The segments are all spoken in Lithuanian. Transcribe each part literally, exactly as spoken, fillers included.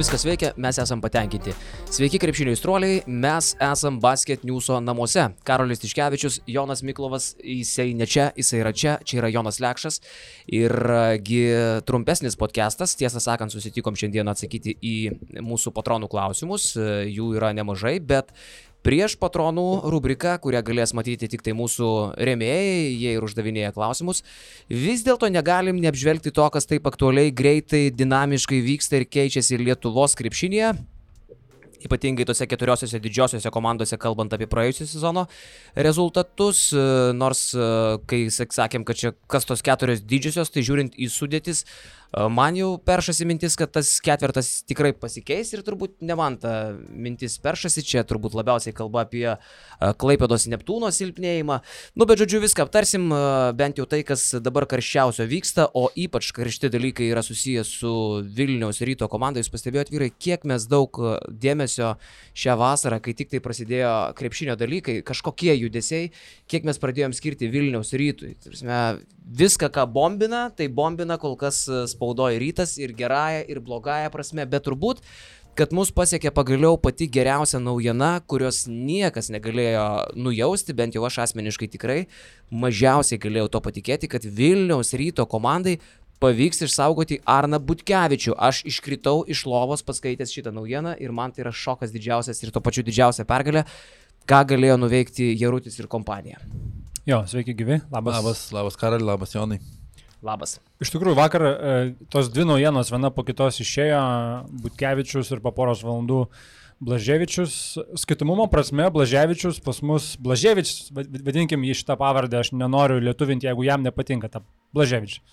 Viskas veikia, mes esam patenkinti. Sveiki krepšinio aistruoliai, mes esam Basket Newso namuose. Karolis Tiškevičius, Jonas Miklovas, jisai ne čia, jisai yra čia, čia yra Jonas Lekšas. Irgi trumpesnis podcastas, tiesą sakant, susitikom šiandien atsakyti į mūsų patronų klausimus, jų yra nemažai, bet prieš patronų rubriką, kurią galės matyti tik tai mūsų rėmėjai, jie ir uždavinėja klausimus, vis dėlto negalim neapžvelgti to, kas taip aktualiai, greitai, dinamiškai vyksta ir keičiasi Lietuvos krepšinėje. Ypatingai tose keturiosiose didžiosiose komandose, kalbant apie praėjusio sezono rezultatus, nors kai sakėm, kad čia kas tos keturios didžiosios, tai žiūrint į sudėtis, man jau peršasi mintis, kad tas ketvertas tikrai pasikeis ir turbūt ne man ta mintis peršasi, čia turbūt labiausiai kalba apie Klaipėdos Neptūno silpnėjimą. Nu, bet žodžiu, viską aptarsim, bent jau tai, kas dabar karščiausio vyksta, o ypač karšti dalykai yra susijęs su Vilniaus Ryto komanda. Jūs pastebėjot, vyrai, kiek mes daug dėmesio šią vasarą, kai tik tai prasidėjo krepšinio dalykai, kažkokie judesiai, kiek mes pradėjom skirti Vilniaus Rytui. Viską, ką bombina, tai bombina kol kas spaudoja Rytas ir gerąją, ir blogąją prasme, bet turbūt, kad mus pasiekė pagaliau pati geriausia naujiena, kurios niekas negalėjo nujausti, bent jau aš asmeniškai tikrai mažiausiai galėjau to patikėti, kad Vilniaus Ryto komandai pavyks išsaugoti Arną Butkevičių. Aš iškritau iš lovos paskaitęs šitą naujieną ir man tai yra šokas didžiausias ir to pačiu didžiausia pergalė, ką galėjo nuveikti Jarutis ir kompanija. Jo, sveiki gyvi. Labas. Labas, labas Karali, labas Jonai. Labas. Iš tikrųjų, vakar e, tos dvi naujienos viena po kitos išėjo, Butkevičius ir po poros valandų Blaževičius. Skaitomumo prasme Blaževičius pas mus, Blaževičius, vadinkim jį šitą pavardę, aš nenoriu lietuvinti, jeigu jam nepatinka ta Blaževičius.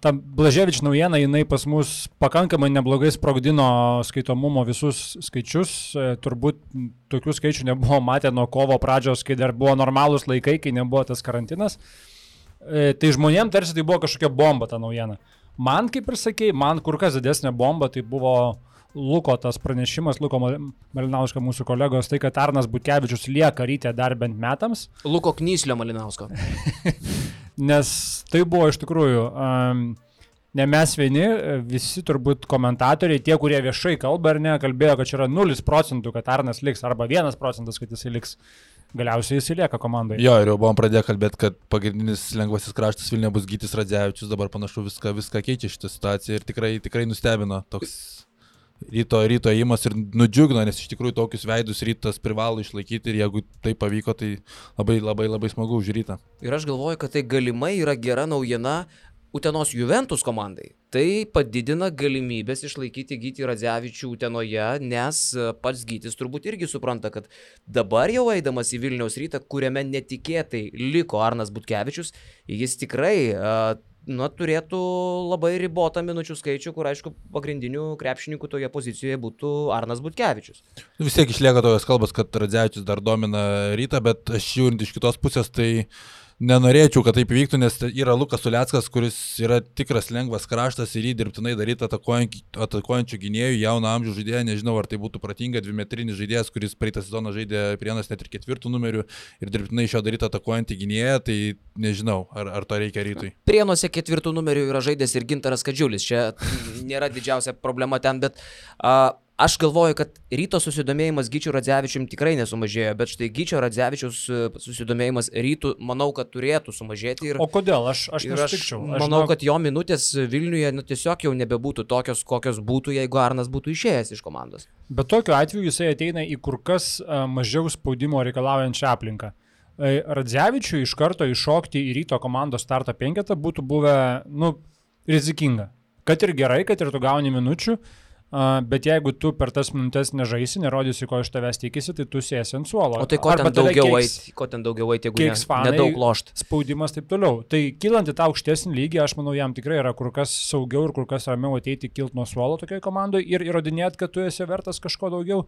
Ta Blaževič naujiena, jinai pas mus pakankamai neblogai sprogdino skaitomumo visus skaičius. E, turbūt tokių skaičių nebuvo matę nuo kovo pradžios, kai dar buvo normalūs laikai, kai nebuvo tas karantinas. E, tai žmonėm tarsi tai buvo kažkokia bomba ta naujiena. Man, kaip ir sakei, man kur kas didesnė bomba, tai buvo Luko tas pranešimas, Luko Malinausko mūsų kolegos, tai kad Arnas Butkevičius lieka Ryte dar bent metams. Luko Knyslio Malinausko. Nes tai buvo iš tikrųjų, um, ne mes vieni, visi turbūt komentatoriai, tie, kurie viešai kalba ar ne, kalbėjo, kad čia yra nulis procentų, kad Arnas liks, arba vienas procentas, kad jisai liks. Galiausiai jisai lieka komandoje. Jo, ir jau buvom pradėję kalbėti, kad pagrindinis lengvasis kraštas Vilniuje bus Gytis Radzevičius, dabar panašu viską, viską keičia šitą situaciją ir tikrai, tikrai nustebino toks ryto, ryto įimas ir nudžiugino, nes iš tikrųjų tokius veidus Rytas privalo išlaikyti ir jeigu tai pavyko, tai labai labai labai smagu už Rytą. Ir aš galvoju, kad tai galimai yra gera naujiena Utenos Juventus komandai. Tai padidina galimybės išlaikyti Gytį Radzevičių Utenoje, nes pats Gytis turbūt irgi supranta, kad dabar jau eidamas į Vilniaus Rytą, kuriame netikėtai liko Arnas Butkevičius, jis tikrai na, turėtų labai ribotą minučių skaičių, kur aišku pagrindinių krepšininkų toje pozicijoje būtų Arnas Butkevičius. Vis tiek išlieka tokios kalbos, kad Radzevičius dar domina Rytą, bet aš žiūrint iš kitos pusės, tai nenorėčiau, kad taip įvyktų, nes yra Lukas Uleckas, kuris yra tikras lengvas kraštas ir jį dirbtinai daryti atakuojančių gynėjų, jauno amžiaus žaidėją, nežinau, ar tai būtų pratinga, dvimetrinis žaidėjas, kuris praeitą sezoną žaidė Prienuose net ir ketvirtų numerių ir dirbtinai iš jo daryti atakuojantį gynėją, tai nežinau, ar, ar to reikia Rytui. Prienuose ketvirtų numerių yra žaidęs ir Gintaras Kadžiulis, čia nėra didžiausia problema ten, bet a, aš galvoju, kad Ryto susidomėjimas Gyčiu Radzevičium tikrai nesumažėjo, bet štai Gyčio Radzevičiaus susidomėjimas Rytų, manau, kad turėtų sumažėti. Ir, o kodėl? Aš, aš nesutikčiau. Aš manau, kad jo minutės Vilniuje nu, tiesiog jau nebebūtų tokios, kokios būtų, jeigu Arnas būtų išėjęs iš komandos. Bet tokiu atveju jisai ateina į kur kas mažiau spaudimo reikalaujančią aplinką. Radzevičiui iš karto iššokti į Ryto komandos starto penketą būtų buvę nu, rizikinga. Kad ir gerai, kad ir tu gauni minučių, Uh, bet jeigu tu per tas minutės nežaisi, nerodysi, ko iš tavęs tikisi, tai tu sėsi ant suolo. O tai ko ten daugiau eiti, ko ten daugiau eiti, jeigu ne, fanai, nedaug lošt. Spaudimas taip toliau. Tai kylant į tą aukštesnį lygį, aš manau, jam tikrai yra kur kas saugiau ir kur kas ramiau ateiti kilt nuo suolo tokioje komandoje ir įrodinėti, kad tu esi vertas kažko daugiau,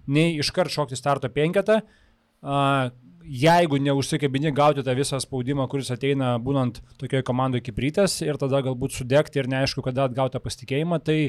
nei iškart šokti starto penketą. Uh, jeigu neužsikabini gauti tą visą spaudimą, kuris ateina būnant tokioje komandoje kaip Rytas ir tada galbūt sudegti ir neaišku, kada atgauti pasitikėjimą, tai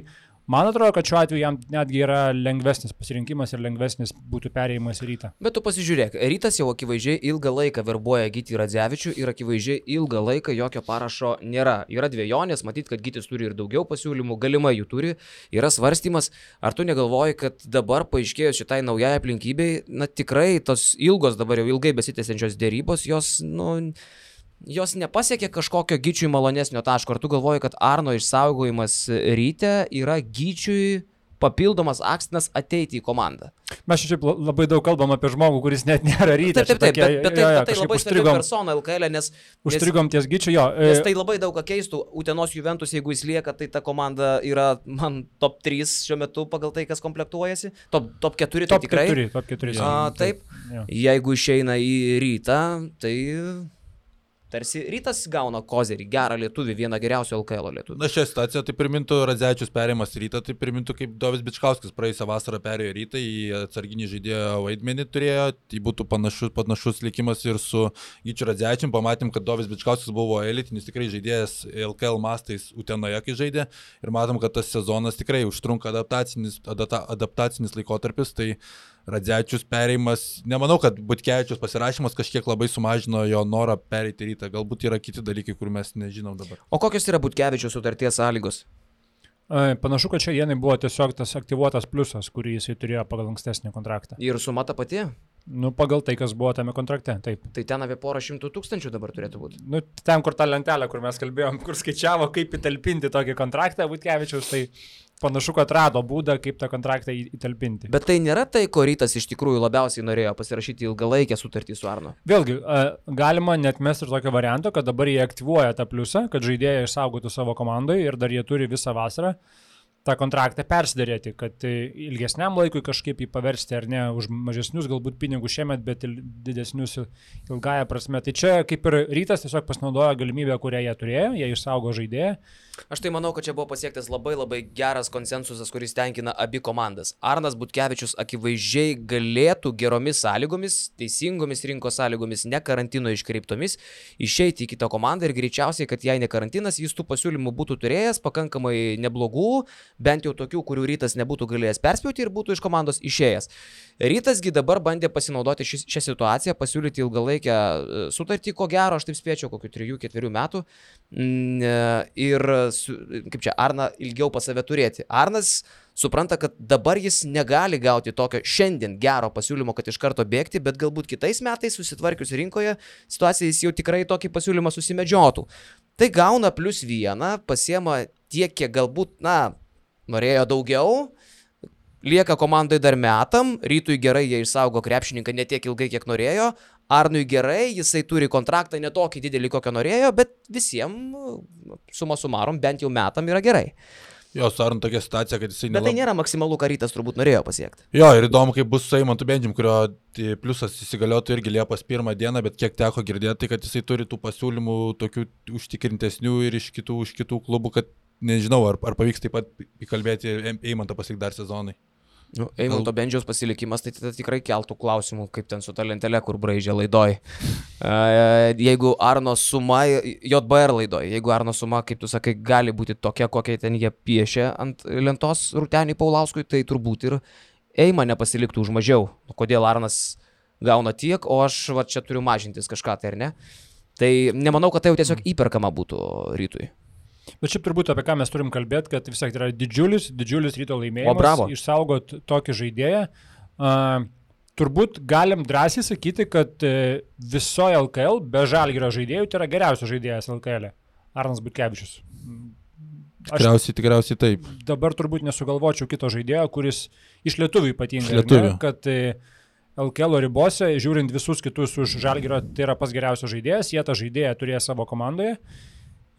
Man atrodo, kad šiuo atveju jam netgi yra lengvesnis pasirinkimas ir lengvesnis būtų perėjimas į Rytą. Bet tu pasižiūrėk, Rytas jau akivaizdžiai ilgą laiką verbuoja Gytį Radzevičių ir akivaizdžiai ilgą laiką jokio parašo nėra. Yra dvejonės, matyt, kad Gytis turi ir daugiau pasiūlymų, galimai jų turi, yra svarstymas. Ar tu negalvoji, kad dabar paaiškėjus šitai naujai aplinkybei, na tikrai tos ilgos dabar jau ilgai besitęsiančios dėrybos, jos, nu... jos nepasiekė kažkokio Gyčiui malonesnio taško. Ar tu galvoji, kad Arno išsaugojimas Ryte yra Gyčiui papildomas akstinas ateiti į komandą? Mes šiaip labai daug kalbam apie žmogų, kuris net nėra Ryte. Taip, taip, taip, bet, bet tai, jo, jo, tai labai svarbi persona L K L, nes... Užstrigom ties Gyčiu, jo. Nes tai labai daug ką keistų. Utenos Juventus, jeigu jis lieka, tai ta komanda yra, man, top trys šiuo metu pagal tai, kas komplektuojasi. Top, top keturi, tai top tikrai. keturi, top keturi. A, taip, jo. Jeigu išeina į Rytą, tai... Tarsi Rytas gauna kozerį, gerą lietuvį, vieną geriausių L K L lietuvių. Na šią situaciją tai primintų Radzevičius perėjimas Rytą, tai primintų kaip Dovis Bičkauskis praėjusią vasarą perėjo Rytą, į atsarginį žaidėjo vaidmenį turėjo, tai būtų panašus, panašus likimas ir su Gyčiu Radzevičium. Pamatėm, kad Dovis Bičkauskis buvo elitinis tikrai žaidėjas L K L mastais Utenoje, kai žaidė, ir matom, kad tas sezonas tikrai užtrunka adaptacinis, adapta, adaptacinis laikotarpis, tai Radzevičius perėjimas, nemanau, kad Butkevičius pasirašymas kažkiek labai sumažino jo norą pereiti Rytą, galbūt yra kiti dalykai, kur mes nežinom dabar. O kokios yra Butkevičiaus sutarties sąlygos? Panašu, kad šią dieną buvo tiesiog tas aktyvuotas pliusas, kurį jisai turėjo pagal ankstesnį kontraktą. Ir suma ta pati? Nu, pagal tai, kas buvo tame kontrakte, taip. Tai ten apie porą šimtų tūkstančių dabar turėtų būti. Nu, ten, kur ta lentelė, kur mes kalbėjom, kur skaičiavo, kaip įtalpinti tokį kontraktą Butkevičiaus, tai panašu, kad rado būdą, kaip tą kontraktą įtalpinti. Bet tai nėra tai, ko Rytas iš tikrųjų labiausiai norėjo pasirašyti ilgalaikę sutartį su Arnu. Vėlgi, galima net mesti ir tokio varianto, kad dabar jie aktyvuoja tą pliusą, kad žaidėjai išsaugotų savo komandoje ir dar jie turi visą vasarą tą kontraktą persiderėti, kad ilgesniam laikui kažkaip jį paversti ar ne, už mažesnius galbūt pinigus šiemet, bet didesnius ilgąją prasme. Tai čia kaip ir Rytas tiesiog pasinaudojo galimybę, kurią jie turėjo, jie išsaugo žaidėją. Aš tai manau, kad čia buvo pasiektas labai labai geras konsensusas, kuris tenkina abi komandas. Arnas Butkevičius akivaizdžiai galėtų geromis sąlygomis, teisingomis rinkos sąlygomis, ne karantino iškreiptomis, išeiti į kitą komandą ir greičiausiai, kad jei ne karantinas, jis tų pasiūlymų būtų turėjęs pakankamai neblogų, bent jau tokių, kurių Rytas nebūtų galėjęs perspjauti ir būtų iš komandos išėjęs. Rytasgi dabar bandė pasinaudoti ši, šią situaciją, pasiūlyti ilgalaikę sutartį, ko gero, aš taip spėčiau, kokių trijų ketverių metų. Ir kaip čia, Arną ilgiau pas save turėti. Arnas supranta, kad dabar jis negali gauti tokio šiandien gero pasiūlymo, kad iš karto bėgti, bet galbūt kitais metais susitvarkius rinkoje situacija jis jau tikrai tokį pasiūlymą susimedžiotų. Tai gauna plus vieną, pasiema tiek, kiek galbūt, na, norėjo daugiau, lieka komandai dar metam, Rytui gerai jie išsaugo krepšininką ne tiek ilgai, kiek norėjo, Arnui gerai, jisai turi kontraktą ne tokį didelį, kokio norėjo, bet visiems suma sumarom bent jau metam yra gerai. Jo, su Arnu tokia situacija, kad jisai... Bet nelab... tai nėra maksimalų, ką Rytas turbūt norėjo pasiekti. Jo, ir įdomu, kaip bus su Eimantu Bendžium, kurio pliusas įsigaliotų irgi Liepos pirmą dieną, bet kiek teko girdėti, kad jisai turi tų pasiūlymų tokių užtikrintesnių ir iš kitų, iš kitų klubų, kad nežinau, ar, ar pavyks taip pat įkalbėti Eimantą pasiekti dar sezonai. Nu, Eimanto Bendžiaus pasilikimas, tai tada tikrai keltų klausimų, kaip ten su ta lentelė, kur braižė laidoj. Jeigu Arno suma, J B R laidoj, jeigu Arno suma, kaip tu sakai, gali būti tokia, kokia ten jie piešia ant lentos Rūtenį Paulauskui, tai turbūt ir Eima nepasiliktų už mažiau. Kodėl Arnas gauna tiek, o aš va, čia turiu mažintis kažką, tai ar ne? Tai nemanau, kad tai jau tiesiog įperkama būtų Rytui. Bet šiaip turbūt apie ką mes turim kalbėti, kad vis tiek tai yra didžiulis, didžiulis Ryto laimėjimas. O bravo. Išsaugot tokį žaidėją. Uh, turbūt galim drąsiai sakyti, kad uh, visoje L K L be Žalgirio žaidėjų tai yra geriausias žaidėjas L K L. Arnas Butkevičius. Aš tikriausiai, tikriausiai taip. Dabar turbūt nesugalvočiau kito žaidėjo, kuris iš lietuvių ypatingai. Iš lietuvių. Ne, kad uh, L K L ribose, žiūrint visus kitus už Žalgirio, tai yra pas geriausias žaidėjas. Jie tą žaidėją turėjo savo komandoje.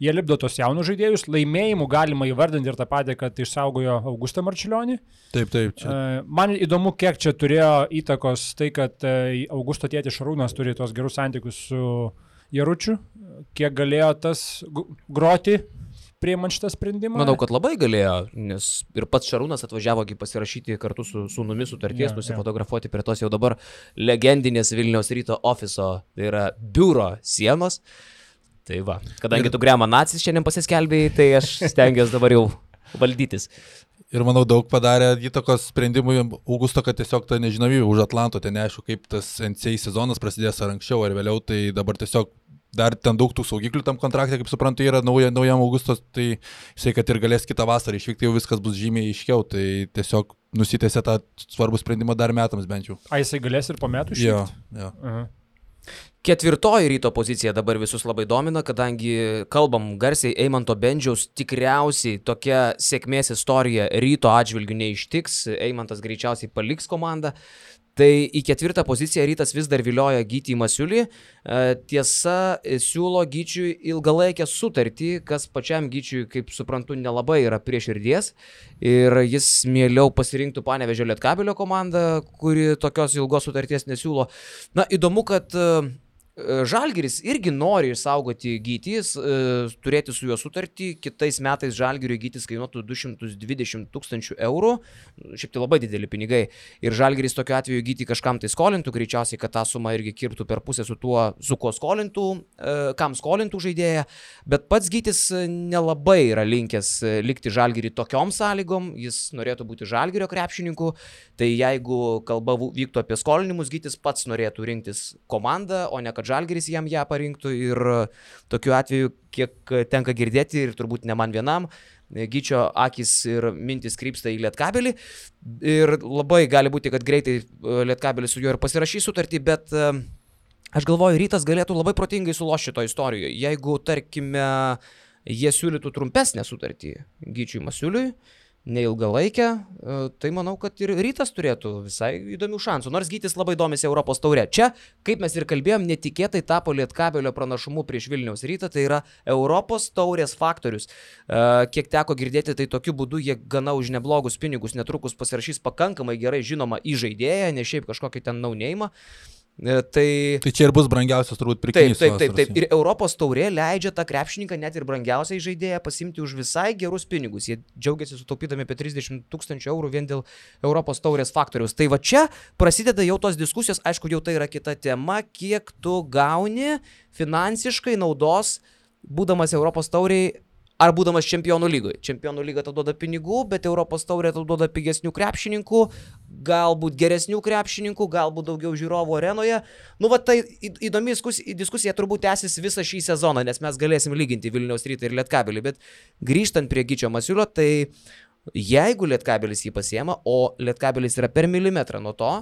Jie lipdo tos jaunus žaidėjus, laimėjimų galima įvardinti ir tą patį, kad išsaugojo Augustą Marčiulionį. Taip, taip. Čia. Man įdomu, kiek čia turėjo įtakos tai, kad Augusto tėtis Šarūnas turi tos gerus santykius su Jaručiu, kiek galėjo tas groti priimant šitą sprendimą. Manau, kad labai galėjo, nes ir pats Šarūnas atvažiavo pasirašyti kartu su sūnumi sutarties, yeah, nusifotografuoti yeah. prie tos jau dabar legendinės Vilniaus Ryto ofiso, tai yra biuro sienos. Tai va, kadangi ir... tu Gremą nacis šiandien pasiskelbėjai, tai aš stengiuosi dabar jau valdytis. Ir manau, daug padarė įtakos sprendimui Augusto, kad tiesiog ta nežinomybė už Atlanto, ten neaišku, kaip tas N C A A sezonas prasidės ar anksčiau ar vėliau, tai dabar tiesiog dar ten daug tų saugiklių tam kontrakte, kaip suprantu, yra nauja, naujam Augustos, tai jisai, kad ir galės kitą vasarą išvykti, jau viskas bus žymiai aiškiau, tai tiesiog nusitęsė tą svarbų sprendimą dar metams bent jau. A, jisai galės ir po metų išvykti? Jo, jo. Aha. Ketvirtoji Ryto pozicija dabar visus labai domina, kadangi kalbam garsiai Eimanto Bendžiaus, tikriausiai tokia sėkmės istorija Ryto atžvilgių neištiks, Eimantas greičiausiai paliks komandą. Tai į ketvirtą poziciją Rytas vis dar vilioja Gytį Masiulį. Tiesa, siūlo Gyčiui ilgalaikę sutartį, kas pačiam Gyčiui, kaip suprantu, nelabai yra prie širdies. Ir jis mieliau pasirinktų Panevėžio Lietkabelio komandą, kuri tokios ilgos sutarties nesiūlo. Na, įdomu, kad Žalgiris irgi nori išsaugoti Gytis, turėti su juo sutartį. Kitais metais Žalgiriui Gytis kainuotų du šimtus dvidešimt tūkstančių eurų. Šiaip tai labai dideli pinigai. Ir Žalgiris tokiu atveju Gytį kažkam tai skolintų, greičiausiai, kad tą sumą irgi kirptų per pusę su tuo, su kuo skolintų, kam skolintų žaidėją. Bet pats Gytis nelabai yra linkęs likti Žalgirį tokiom sąlygom. Jis norėtų būti Žalgirio krepšininku. Tai jeigu kalba vyktų apie skolinimus, Gytis pats norėtų rinktis komandą, o ne kad Žalgiris jam ją parinktų. Ir tokiu atveju, kiek tenka girdėti, ir turbūt ne man vienam, Gyčio akis ir mintis krypsta į Lietkabelį. Ir labai gali būti, kad greitai Lietkabelis su juo ir pasirašys sutartį, bet aš galvoju, Rytas galėtų labai protingai sulošti šito istorijoje. Jeigu, tarkime, jie siūlytų trumpesnę sutartį Gyčiui Masiuliui, neilgalaikę, tai manau, kad ir Rytas turėtų visai įdomių šansų, nors Gytis labai domisi Europos taure. Čia, kaip mes ir kalbėjom, netikėtai tapo Lietkabelio pranašumu prieš Vilniaus Rytą, tai yra Europos taurės faktorius. Kiek teko girdėti, tai tokiu būdu jie gana už neblogus pinigus netrukus pasirašys pakankamai gerai žinoma įžaidėją, ne šiaip kažkokį ten naunėjimą. Tai, tai čia ir bus brangiausias turbūt pirkinys. Taip, taip, taip, taip. Ir Europos taurė leidžia tą krepšininką net ir brangiausiai žaidėją pasimti už visai gerus pinigus. Jie džiaugiasi sutaupydami apie trisdešimt tūkstančių eurų vien dėl Europos taurės faktoriaus. Tai va čia prasideda jau tos diskusijos, aišku, jau tai yra kita tema, kiek tu gauni finansiškai naudos, būdamas Europos tauriai, ar būdamas čempionų lygoje. Čempionų lyga tau duoda pinigų, bet Europos taurė tau duoda pigesnių krepšininkų, galbūt geresnių krepšininkų, galbūt daugiau žiūrovų arenoje. Nu, va, tai įdomi diskusija turbūt tęsis visą šį sezoną, nes mes galėsim lyginti Vilniaus Rytą ir Lietkabelį, bet grįžtant prie Gyčio Masiulio, tai jeigu Lietkabelis jį pasiema, o Lietkabelis yra per milimetrą nuo to,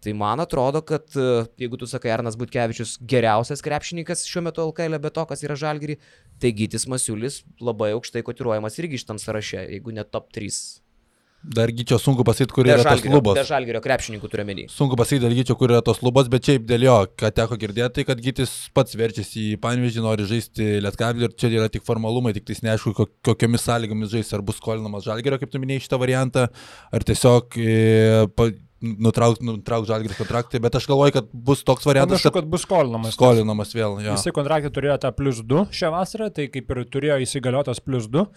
tai man atrodo, kad jeigu tu sakai Arnas Butkevičius geriausias krepšininkas šiuo metu L K L, be to, kas yra Žalgirį, tai Gytis Masiulis labai aukštai kotiruojamas irgi šitam sąraše, jeigu ne top trys. Dar Gyčio sunku pasakyti, kur yra tos lubos. Be Žalgirio krepšininkų turiu menį. Sunku pasakyti dėl Gyčio, kur yra tos lubos, bet šiaip dėl jo, ką teko girdėti, tai kad Gytis pats verčiasi į Panevėžį, nori žaisti Lietkabelį ir čia yra tik formalumai, tik tais neaišku, kokiomis sąlygomis žais, ar bus skolinamas Žalgirio, kaip tu minėjai šitą variantą, ar tiesiog e, pa, nutrauk, nutrauk Žalgiris kontraktą, bet aš galvoju, kad bus toks variantas, Panašu, kad bus skolinamas. Skolinamas vėl, jo. Jisai kontraktą turėjo tą plus du šią vasarą, tai kaip ir turėjo įsigaliotas plus du,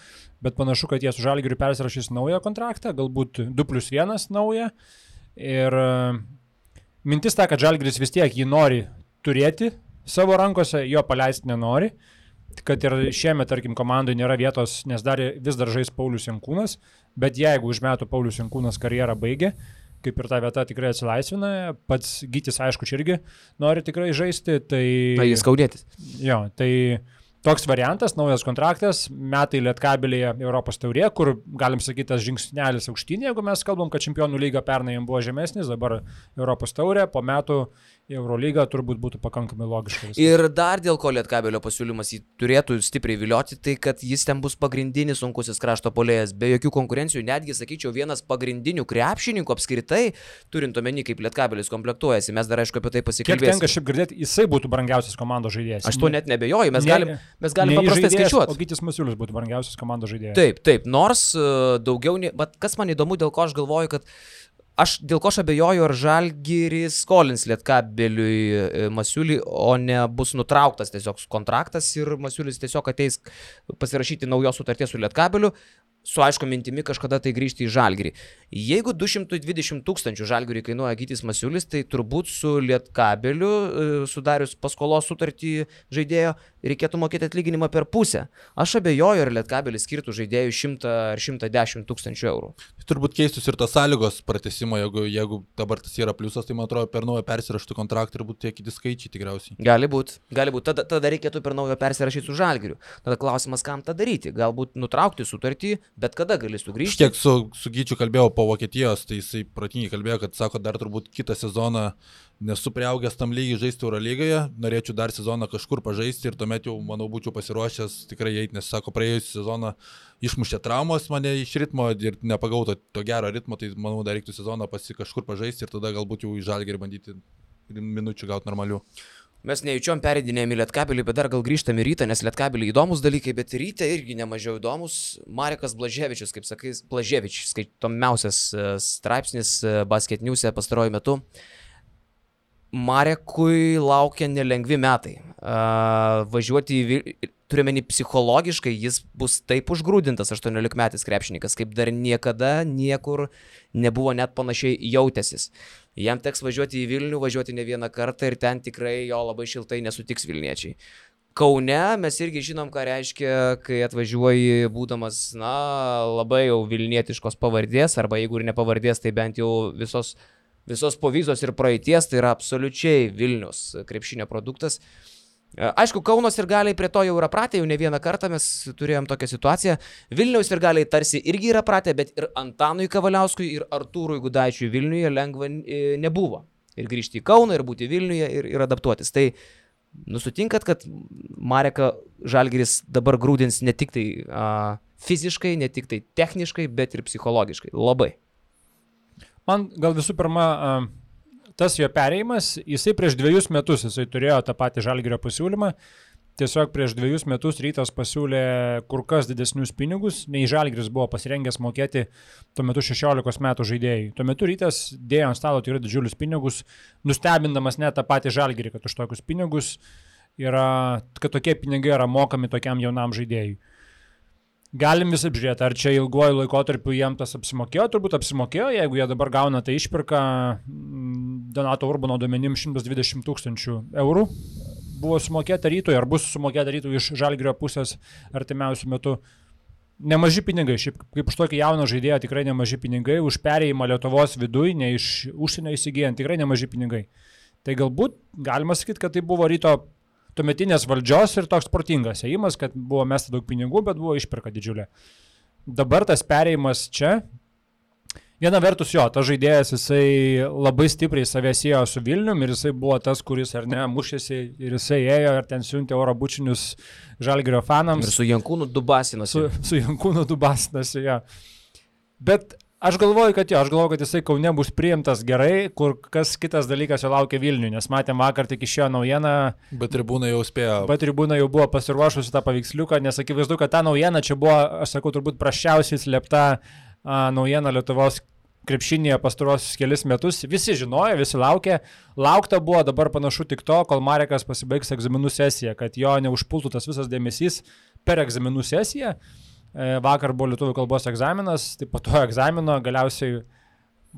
bet panašu, kad jie su Žalgiriu persirašys naują kontraktą, galbūt du plus vienas naują. Ir mintis ta, kad Žalgiris vis tiek jį nori turėti savo rankose, jo paleisti nenori, kad ir šiemet, tarkim, komandai nėra vietos, nes dar vis dar žais Paulius Jankūnas, bet jeigu už metų Paulius Jankūnas karjerą baigė, kaip ir ta vieta tikrai atsilaisvina, pats Gytis, aišku, čia irgi nori tikrai žaisti, tai... Na, jis skaudėtis. Jo, tai toks variantas, naujas kontraktas, metai Lietkabelyje Europos taurė, kur, galim sakyti, tas žingsnelis aukštyn, jeigu mes kalbam, kad čempionų lyga pernai jam buvo žemesnis, dabar Europos taurė, po metų Eurolyga turbūt būtų pakankamai logiška. Ir dar dėl ko Lietkabelio pasiūlymas jį turėtų stipriai vilioti, tai kad jis ten bus pagrindinis sunkusis krašto puolėjas, be jokių konkurencijų, netgi, sakyčiau, vienas pagrindinių krepšininkų apskritai, turint omeny, kaip Lietkabelis komplektuojasi. Mes dar, aišku, apie tai pasikalbėsime. Kiek tenka šiaip girdėti, jisai būtų brangiausias komandos žaidėjas. Aš to net nebejoju, mes galim, mes galim paprastai skaičiuoti. O Gytis Masiulis būtų brangiausias komandos žaidėjas. Taip, taip, nors daugiau, bet kas man įdomu, dėl ko aš galvoju, kad Aš dėl ko aš abejoju, ar Žalgiris skolins Lietkabeliui Masiulį, o ne bus nutrauktas tiesiog kontraktas ir Masiulis tiesiog ateis pasirašyti naujos sutarties su Lietkabeliu, su aišku mintimi kažkada tai grįžti į Žalgirį. Jeigu du šimtai dvidešimt tūkstančių Žalgiriui kainuoja Gytis Masiulis, tai turbūt su Lietkabeliu sudarius paskolos sutartį žaidėjo reikėtų mokėti atlyginimą per pusę. Aš abejoju, ar Lietkabelis skirtų žaidėjų šimtą ar šimtą dešimt tūkstančių eurų. Turbūt keistus ir tos sąlygos pratęsimo, jeigu, jeigu dabar tas yra pliusas, tai man atrodo per naują persiraštų kontraktą ir būtų tie kiti skaičiai tikriausiai. Gali būti, gali būti. Tada, tada reikėtų per naujo persirašyti su Žalgiriu. Tada klausimas, kam tą daryti. Galbūt nutraukti sutartį, bet kada gali sugrįžti. Kiek su, su Gyčiu kalbėjau po Vokietijos, tai jisai protingai kalbėjo, kad sako, dar turbūt kitą sezoną nesu priaugęs tam lygiai žaisti Eurolygoje, norėčiau dar sezoną kažkur pažaisti ir tuomet jau, manau, būčiau pasiruošęs tikrai eiti, nes sako, praėjusią sezoną išmušė traumos mane iš ritmo ir nepagauto to gero ritmo, tai manau, dar reiktų sezoną pasi kažkur pažaisti ir tada galbūt jau į Žalgirį bandyti minučių gauti normalių. Mes nejučiom pereidinėjom į Lietkabelį, bet dar gal grįžtam į Rytą, nes Lietkabelį įdomus dalykai, bet Ryte irgi nemažiau įdomus. Marekas Blaževičius, kaip sakai, Blaževičius, skaitomiausias straipsnis Basket News'e pastaruoju metu. Marekui laukia nelengvi metai. Uh, važiuoti į Vilnių, turiuomenį psichologiškai, jis bus taip užgrūdintas aštuoniolikmetis krepšininkas, kaip dar niekada niekur nebuvo net panašiai jautęsis. Jam teks važiuoti į Vilnių, važiuoti ne vieną kartą ir ten tikrai jo labai šiltai nesutiks Vilniečiai. Kaune mes irgi žinom, ką reiškia, kai atvažiuoji būdamas, na, labai jau vilnietiškos pavardės, arba jeigu ir ne pavardės, tai bent jau visos, visos povyzos ir praeities, tai yra absoliučiai Vilnius krepšinio produktas. Aišku, Kauno sirgaliai prie to jau yra pratę, jau ne vieną kartą mes turėjom tokią situaciją. Vilniaus sirgaliai tarsi irgi yra pratę, bet ir Antanui Kavaliauskui ir Artūrui Gudaičiui Vilniuje lengva nebuvo. Ir grįžti į Kauną, ir būti Vilniuje, ir, ir adaptuotis. Tai nusutinkat, kad Mareką Žalgiris dabar grūdins ne tik tai a, fiziškai, ne tik tai techniškai, bet ir psichologiškai. Labai. Man gal visų pirma... A... Tas jo perėjimas, jisai prieš dviejus metus jisai turėjo tą patį Žalgirio pasiūlymą, tiesiog prieš dviejus metus Rytas pasiūlė kur kas didesnius pinigus, nei Žalgiris buvo pasirengęs mokėti tuo metu šešiolikos metų žaidėjai. Tuo metu Rytas dėjo ant stalo tikrai didžiulius pinigus, nustebindamas net tą patį Žalgirį, kad už tokius pinigus yra, kad tokie pinigai yra mokami tokiam jaunam žaidėjui. Galim vis apžiūrėti, ar čia ilguoju laikotarpiu jiem tas apsimokėjo, turbūt apsimokėjo, jeigu jie dabar gauna tą išpirką Donato Urbano duomenim šimtas dvidešimt tūkstančių eurų buvo sumokėta Rytui, ar bus sumokėta Rytui iš Žalgirio pusės artimiausių metų. Nemaži pinigai, šiaip kaip už tokį jauną žaidėją tikrai nemaži pinigai, už perėjimą Lietuvos viduj, ne iš užsienio įsigijant, tikrai nemaži pinigai. Tai galbūt galima sakyti, kad tai buvo Ryto tuometinės valdžios ir toks protingas ėjimas, kad buvo mesta daug pinigų, bet buvo išpirka didžiulė. Dabar tas perėjimas čia, viena vertus jo, tas žaidėjas jisai labai stipriai save siejo su Vilnium ir jisai buvo tas, kuris ar ne mušėsi ir jisai ėjo ir ten siuntė oro bučinius Žalgirio fanams. Ir su Jankūnu dubasinosi. Su, su Jankūnu dubasinosi, jo. Bet aš galvoju, kad jo, aš galvoju, kad jisai Kaune bus priimtas gerai, kur kas kitas dalykas jo laukia Vilniui, nes matėm vakar tik išėjo naujieną. Bet tribūna jau spėjo. Bet tribūna jau buvo pasiruošusi tą paveiksliuką, nes akivaizdu, kad ta naujiena čia buvo, aš sakau, turbūt prasčiausiai slėpta a, naujiena Lietuvos krepšinėje pastaruosius kelis metus. Visi žinojo, visi laukė. Laukta buvo dabar panašu tik to, kol Marekas pasibaigs egzaminų sesiją, kad jo neužpultų tas visas dėmesys per egzaminų sesiją. Vakar buvo lietuvių kalbos egzaminas, tai po to egzamino galiausiai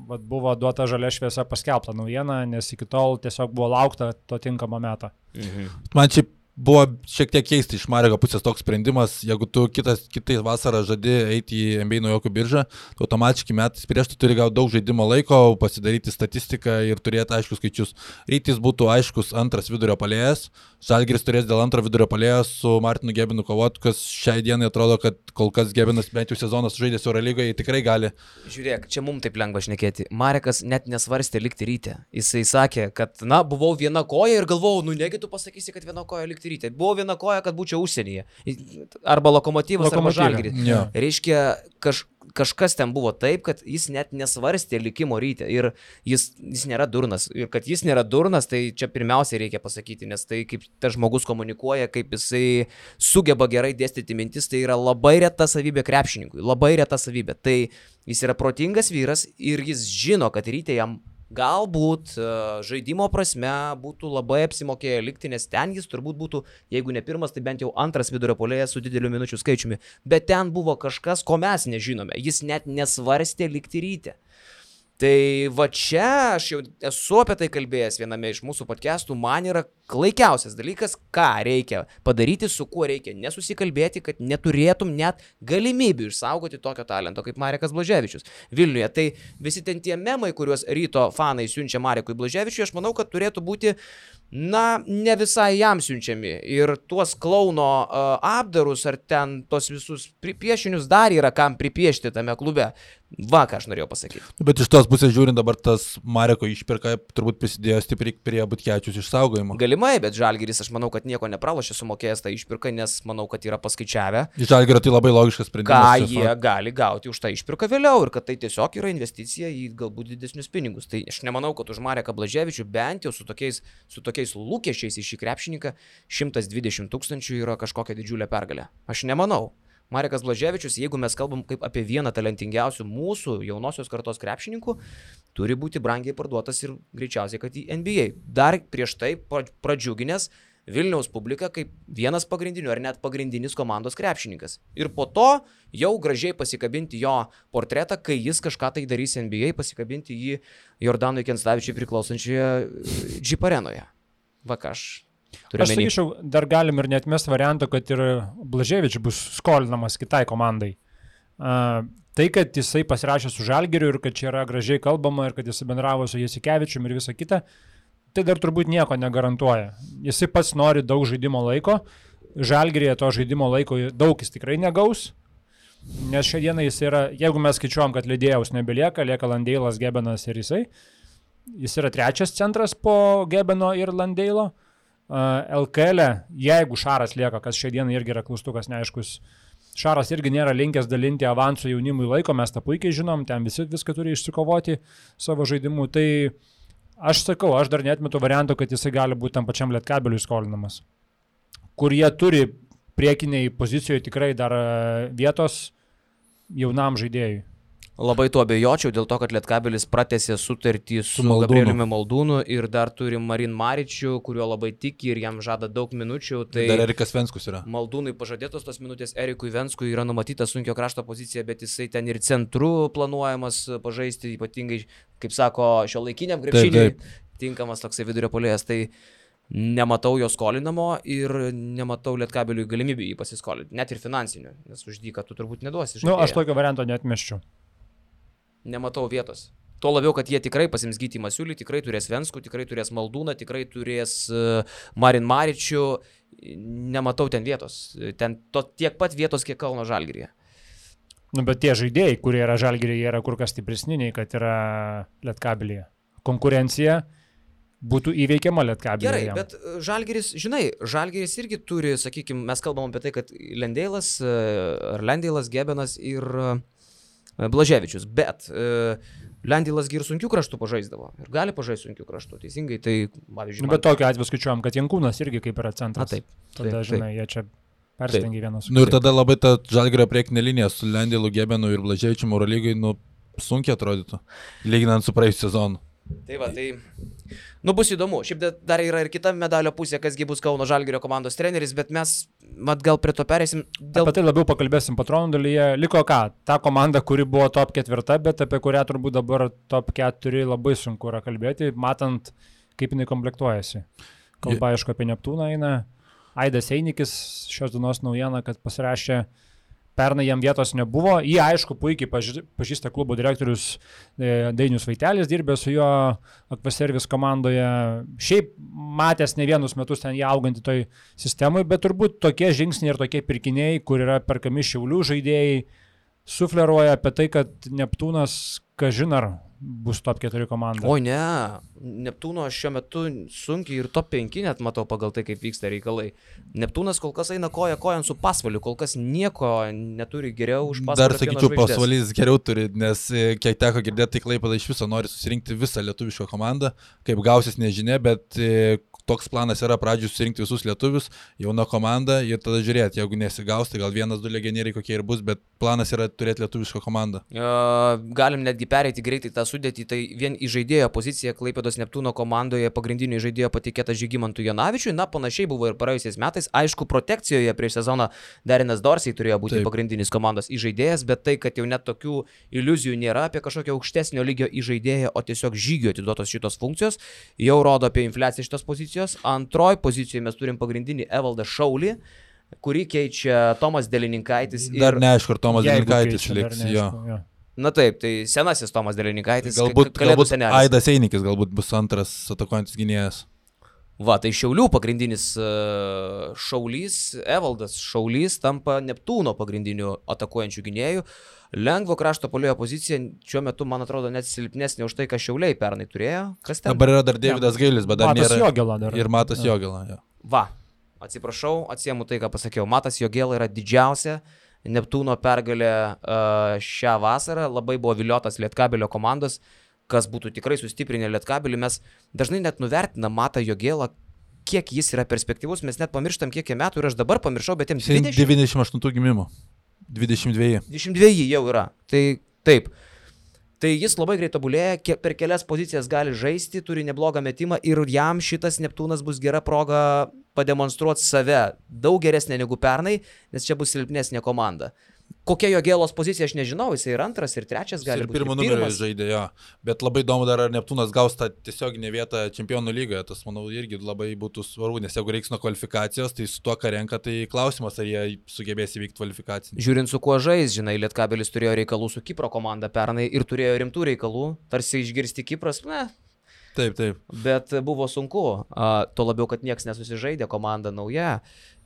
vat, buvo duota žalia šviesa paskelbta naujiena, nes iki tol tiesiog buvo laukta to tinkamo meto. Mhm. Man šiaip buvo šiek tiek keisti iš Mareko pusės toks sprendimas, jeigu tu kitas, kitais vasarą žadi eiti į N B A naujokų biržą, tu automatiškai metais prieš tu turi gauti daug žaidimo laiko, pasidaryti statistiką ir turėti aiškus skaičius. Rytis būtų aiškus antras vidurio puolėjas, Žalgiris turės dėl antro vidurio puolėjo su Martinu Gebinu kovoti, kas šiai dienai atrodo, kad kol kas Gebinas bent jau sezonas žaidęs Eurolygoje tikrai gali. Žiūrėk, čia mums taip lengva šnekėti. Marekas net nesvarstė likti Ryte. Jisai sakė, kad, na, buvau viena koja ir galvojau, nu negi tu pasakysi, kad viena koja likti Ryte. Buvau viena koja, kad būčiau užsienyje. Arba Lokomotyvas, arba Žalgiris. Ja. Reiškia, kaž, kažkas ten buvo taip, kad jis net nesvarstė likimo Ryte. Ir jis, jis nėra durnas. Ir kad jis nėra durnas, tai čia pirmiausiai reikia pasakyti, nes tai kaip tas žmogus komunikuoja, kaip jisai sugeba gerai dėstyti mintis, tai yra labai reta savybė krepšininkui. Labai reta savybė. Tai jis yra protingas vyras ir jis žino, kad Ryte jam galbūt žaidimo prasme būtų labai apsimokėję likti, nes ten jis turbūt būtų, jeigu ne pirmas, tai bent jau antras vidurio puolėjas su dideliu minučių skaičiumi. Bet ten buvo kažkas, ko mes nežinome. Jis net nesvarstė likti Ryte. Tai va čia aš jau esu apie tai kalbėjęs viename iš mūsų podcastų, man yra klaikiausias dalykas, ką reikia padaryti, su kuo reikia nesusikalbėti, kad neturėtum net galimybių išsaugoti tokio talento kaip Marekas Blaževičius Vilniuje. Tai visi ten tie memai, kuriuos Ryto fanai siunčia Marekui Blaževičiui, aš manau, kad turėtų būti, na, ne visai jam siunčiami. Ir tuos klauno uh, apdarus ar ten tos visus piešinius dar yra kam pripiešti tame klube. Va, ką aš norėjau pasakyti. Bet iš tos pusės žiūrint dabar tas Mareko išpirka turbūt prisidėjo stipriai prie Butkevičiaus išsaugojimo. Galimai, bet Žalgiris aš manau, kad nieko nepralošė sumokėjęs tą išpirką, nes manau, kad yra paskaičiavę. Iš Žalgirio tai labai logiškas sprendimas. Ką jie fa... gali gauti už tą išpirką vėliau ir kad tai tiesiog yra investicija į galbūt didesnius pinigus. Tai aš nemanau, kad už Mareką Blaževičių bent jau su tokiais, su tokiais lūkesčiais į šį krepšininką šimtas dvidešimt tūkstančių yra kažkokia didžiulė pergalė. Aš nemanau. Marekas Blaževičius, jeigu mes kalbam kaip apie vieną talentingiausių mūsų jaunosios kartos krepšininkų, turi būti brangiai parduotas ir greičiausiai, kad į N B A. Dar prieš tai pradžiuginęs Vilniaus publiką kaip vienas pagrindinių ar net pagrindinis komandos krepšininkas. Ir po to jau gražiai pasikabinti jo portretą, kai jis kažką tai darys N B A, pasikabinti jį Jordanui Kenstavičiui priklausančioje Jeep arenoje. Va ką aš... Aš sakyčiau, dar galim ir neatmest variantą, kad ir Blaževičius bus skolinamas kitai komandai. Uh, tai, kad jisai pasirašė su Žalgiriu ir kad čia yra gražiai kalbama ir kad jisai bendravo su Jasikevičium ir visa kita, tai dar turbūt nieko negarantuoja. Jisai pats nori daug žaidimo laiko, Žalgiryje to žaidimo laiko daug jis tikrai negaus, nes šią dieną jis yra, jeigu mes skaičiuojam, kad Lidėjaus nebelieka, lieka Landeilas, Gebenas ir jisai, jis yra trečias centras po Gebeno ir Landeilo. L K L, jeigu Šaras lieka, kas šią dieną irgi yra klaustukas neaiškus, Šaras irgi nėra linkęs dalinti avansų jaunimui laiko, mes tą puikiai žinom, ten visi viską turi išsikovoti savo žaidimu, tai aš sakau, aš dar neatmetu varianto, kad jisai gali būti tam pačiam Lietkabeliui skolinamas, kur jie turi priekiniai pozicijoje tikrai dar vietos jaunam žaidėjui. Labai tuo abejočiau, dėl to, kad Lietkabelis pratęsė sutartį su, su Gabrieliumi Maldūnu ir dar turi Marin Maričių, kuriuo labai tiki ir jam žada daug minučių. Tai dar Erikas Venskus yra. Maldūnui pažadėtos tos minutės, Erikui Venskui yra numatyta sunkio krašto pozicija, bet jisai ten ir centru planuojamas pažaisti, ypatingai, kaip sako, šio laikiniam krepšiniui tinkamas toksai vidurio puolėjas. Tai nematau jo skolinamo ir nematau Lietkabeliui galimybių jį pasiskolinti, net ir finansinių, nes už dyką tu turbūt neduosi. Nu, aš tokio varianto neatmeščiau. Nematau vietos. Tuo labiau, kad jie tikrai pasiims Gytį Masiulį, tikrai turės Venskų, tikrai turės Maldūną, tikrai turės uh, Marin Maričių. Nematau ten vietos. Ten to, tiek pat vietos, kiek Kauno Žalgiryje. Nu, bet tie žaidėjai, kurie yra Žalgiryje, yra kur kas stipresni, nei kad yra Lietkabelyje. Konkurencija būtų įveikiama Lietkabelyje. Gerai, bet Žalgiris, žinai, Žalgiris irgi turi, sakykime, mes kalbam apie tai, kad Landeilas, ar Landeilas, Gebenas ir Blaževičius, bet e, Landeilas ir sunkių kraštų pažaisdavo ir gali pažaisti sunkių kraštų, teisingai, tai pavyzdžiui... Nu, bet man... tokiu atveju skaičiuojam, kad Jankūnas irgi kaip yra centras. A, taip. Tada, taip, žinai, taip. Jie čia perstengia vienas su kitu. Nu ir tada labai ta Žalgirio priekinė linija su Landeilu, Gebenu ir Blaževičium Eurolygai, nu, sunkiai atrodytų, lyginant su praėjusiu sezonu. Tai va, tai... Nu, bus įdomu. Šiaip dar yra ir kita medalio pusė, kasgi bus Kauno Žalgirio komandos treneris, bet mes, mat, gal prie to perėsim. Dėl... Apie tai labiau pakalbėsim patronų dalyje. Liko ką? Ta komanda, kuri buvo top ketvirta, bet apie kurią turbūt dabar top keturi labai sunku yra kalbėti, matant, kaip jinai komplektuojasi. Kalba, aišku, apie Neptūną eina. Aidas Einikis, šios dienos naujiena, kad pasirašė. Pernai jam vietos nebuvo, jį aišku puikiai pažįsta klubo direktorius Dainius Vaitelis, dirbė su juo Aquaservice komandoje, šiaip matęs ne vienus metus ten jį augantį toj sistemai, bet turbūt tokie žingsniai ir tokie pirkiniai, kur yra perkami Šiaulių žaidėjai, sufleruoja apie tai, kad Neptūnas, kažin ar bus top keturi komanda. O ne, Neptūno šiuo metu sunkiai ir top penki net matau pagal tai, kaip vyksta reikalai. Neptūnas kol kas eina koja kojan su Pasvaliu, kol kas nieko neturi geriau už Pasvalį. Dar sakyčiau, Pasvalis geriau turi, nes kiek teko girdėti, tai Klaipėda iš viso nori susirinkti visą lietuvišką komandą, kaip gausis nežinia, bet toks planas yra pradžių surinkti visus lietuvius, jauna komanda ir tada žiūrėti, jeigu nesigaus, tai gal vienas, du legionieriai kokie ir bus, bet planas yra turėti lietuvišką komandą. Uh, galim netgi pereiti greitai tą sudėtį, tai vien į žaidėjo poziciją Klaipėdos Neptūno komandoje pagrindinio žaidėjo patikėta Žygimantui Janavičiui, na panašiai buvo ir praėjusiais metais, aišku, protekcijoje prieš sezoną Derinas Dorsiai turėjo būti Taip. pagrindinis komandos įžaidėjas, bet tai, kad jau net tokių iliuzijų nėra apie kažkokio aukštesnio lygio įžaidėją, o tiesiog žygio atiduotos šitos funkcijos, jau rodo apie infliaciją šitos pozicijos. Antroji pozicijoje mes turim pagrindinį Evaldą Šaulį, kurį keičia Tomas Delininkaitis. Ir... Dar neaišku, ar Tomas Delininkaitis liks. Na taip, tai senasis Tomas Delininkaitis. Galbūt, galbūt Aidas Einikis galbūt bus antras atakuojantis gynėjas. Va, tai Šiaulių pagrindinis uh, Šaulys, Evaldas Šaulys tampa Neptūno pagrindiniu atakuojančių gynėjų. Lengvo krašto puolėjo pozicija šiuo metu, man atrodo, net silpnesnė už tai, ką Šiauliai pernai turėjo. Kas ten? Dabar yra dar Deividas ja. Gailis, bet dar Matas nėra. Jogela dar. Ir Matas ja. Jogela. Ja. Va, atsiprašau, atsiemu tai, ką pasakiau. Matas Jogela yra didžiausia Neptūno pergalė uh, šią vasarą. Labai buvo viliotas Lietkabelio komandos, kas būtų tikrai sustiprinę Lietkabelį. Mes dažnai net nuvertinam Matą Jogelą, kiek jis yra perspektyvus. Mes net pamirštam, kiek jie metų ir aš dabar pamiršau, bet jiems dvidešimt. devyniasdešimt aštuntų gimimo. dvidešimt du. dvidešimt du jau yra. Tai taip. Tai jis labai greit tobulėja, per kelias pozicijas gali žaisti, turi neblogą metimą ir jam šitas Neptūnas bus gera proga pademonstruoti save daug geresnė negu pernai, nes čia bus silpnesnė komanda. Kokia Jogelos pozicija, aš nežinau, jis ir antras, ir trečias gali ir būti. Pirmą numerį žaidė, jo. Bet labai įdomu dar, ar Neptūnas gaus tą tiesioginę vietą čempionų lygoje. Tas, manau, irgi labai būtų svarbu, nes jeigu reiks nuo kvalifikacijos, tai su tuo, ką renka, tai klausimas, ar jie sugebės įvykti kvalifikaciją. Žiūrint su kuo žais, žinai, Lietkabelis turėjo reikalų su Kipro komanda pernai ir turėjo rimtų reikalų, tarsi išgirsti Kipras, ne. Taip, taip. Bet buvo sunku, a, tuo labiau, kad nieks nesusižaidė, komanda nauja.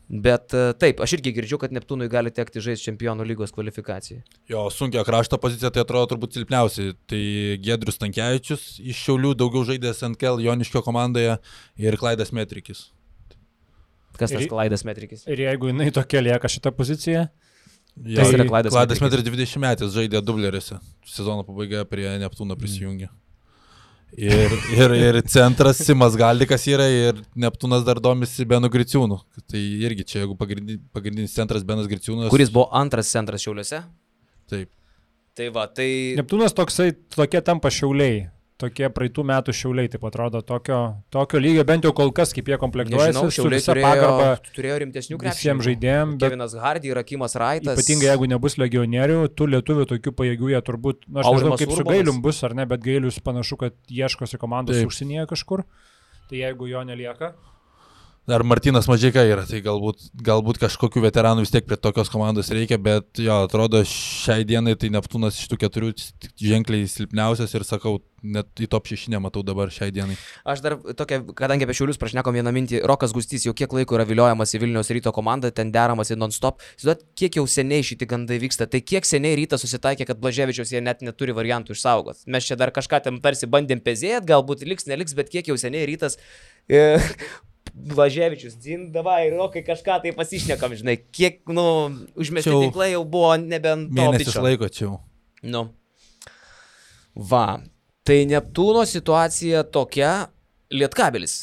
Bet taip, aš irgi girdžiu, kad Neptūnui gali tekti žaisti čempionų lygos kvalifikacijai. Jo, sunkia krašto pozicija, tai atrodo turbūt silpniausiai. Tai Giedrius Tankievičius iš Šiaulių, daugiau žaidęs N K L Joniškio komandoje ir Klaidas Metrikis. Kas tas ir, Klaidas Metrikis? Ir jeigu jinai tokia lieka šitą poziciją? Jo, tai yra Klaidas, Klaidas Metrikis dvidešimt metais žaidė dubleriuose. Sezono pabaigoje prie Neptūno prisijungė. Mm. Ir, ir, ir centras Simas Galdikas yra ir Neptūnas dar domisi Benu Griciūnu. Tai irgi čia, jeigu pagrindinis, pagrindinis centras Benas Griciūnas. Kuris buvo antras centras Šiauliuose? Taip. Tai va, tai... Neptūnas toksai, tokie tampa Šiauliai. Tokie praeitų metų Šiauliai, taip atrodo, tokio, tokio lygio, bent jau kol kas, kaip jie komplektuojasi. Nežinau, Šiauliai su turėjo, turėjo rimtesnių krepšininkų. Visiems žaidėjim. Kevinas Hardy, Rakimas Raitas. Ypatingai jeigu nebus legionierių, tų lietuvių tokių pajėgių jie turbūt, na, aš nežinau kaip Urbanas. Su Gailium bus ar ne, bet Gailius panašu, kad ieškosi komandos taip. Užsienyje kažkur. Tai jeigu jo nelieka. Dar Martynas Mažeika yra, tai galbūt, galbūt kažkokių veteranų vis tiek prie tokios komandos reikia, bet jo, atrodo šiai dienai tai Neptūnas iš tų keturių ženkliai silpniausias ir sakau, net į top šeši nematau dabar šiai dienai. Aš dar tokia, kadangi apie Šiaulius prašnekom vieną mintį, Rokas Gustys jau kiek laiko yra viliojamas į Vilniaus Ryto komandą, ten deramas į non-stop. Žinot, kiek jau seniai šitie gandai vyksta, tai kiek seniai Rytas susitaikė, kad Blaževičiaus jie net neturi variantų išsaugos. Mes čia dar kažką ten tarsi bandėm pezėt, galbūt liks, neliks, bet kiek jau seniai Rytas... E, Blaževičius, dzin, davai, Rokai, kažką tai pasišnekam, žinai, kiek, nu, užmesti tinklai jau buvo nebent to mėnesis bičio. Laiko čia. Nu. Va, tai Neptūno situacija tokia, Lietkabelis.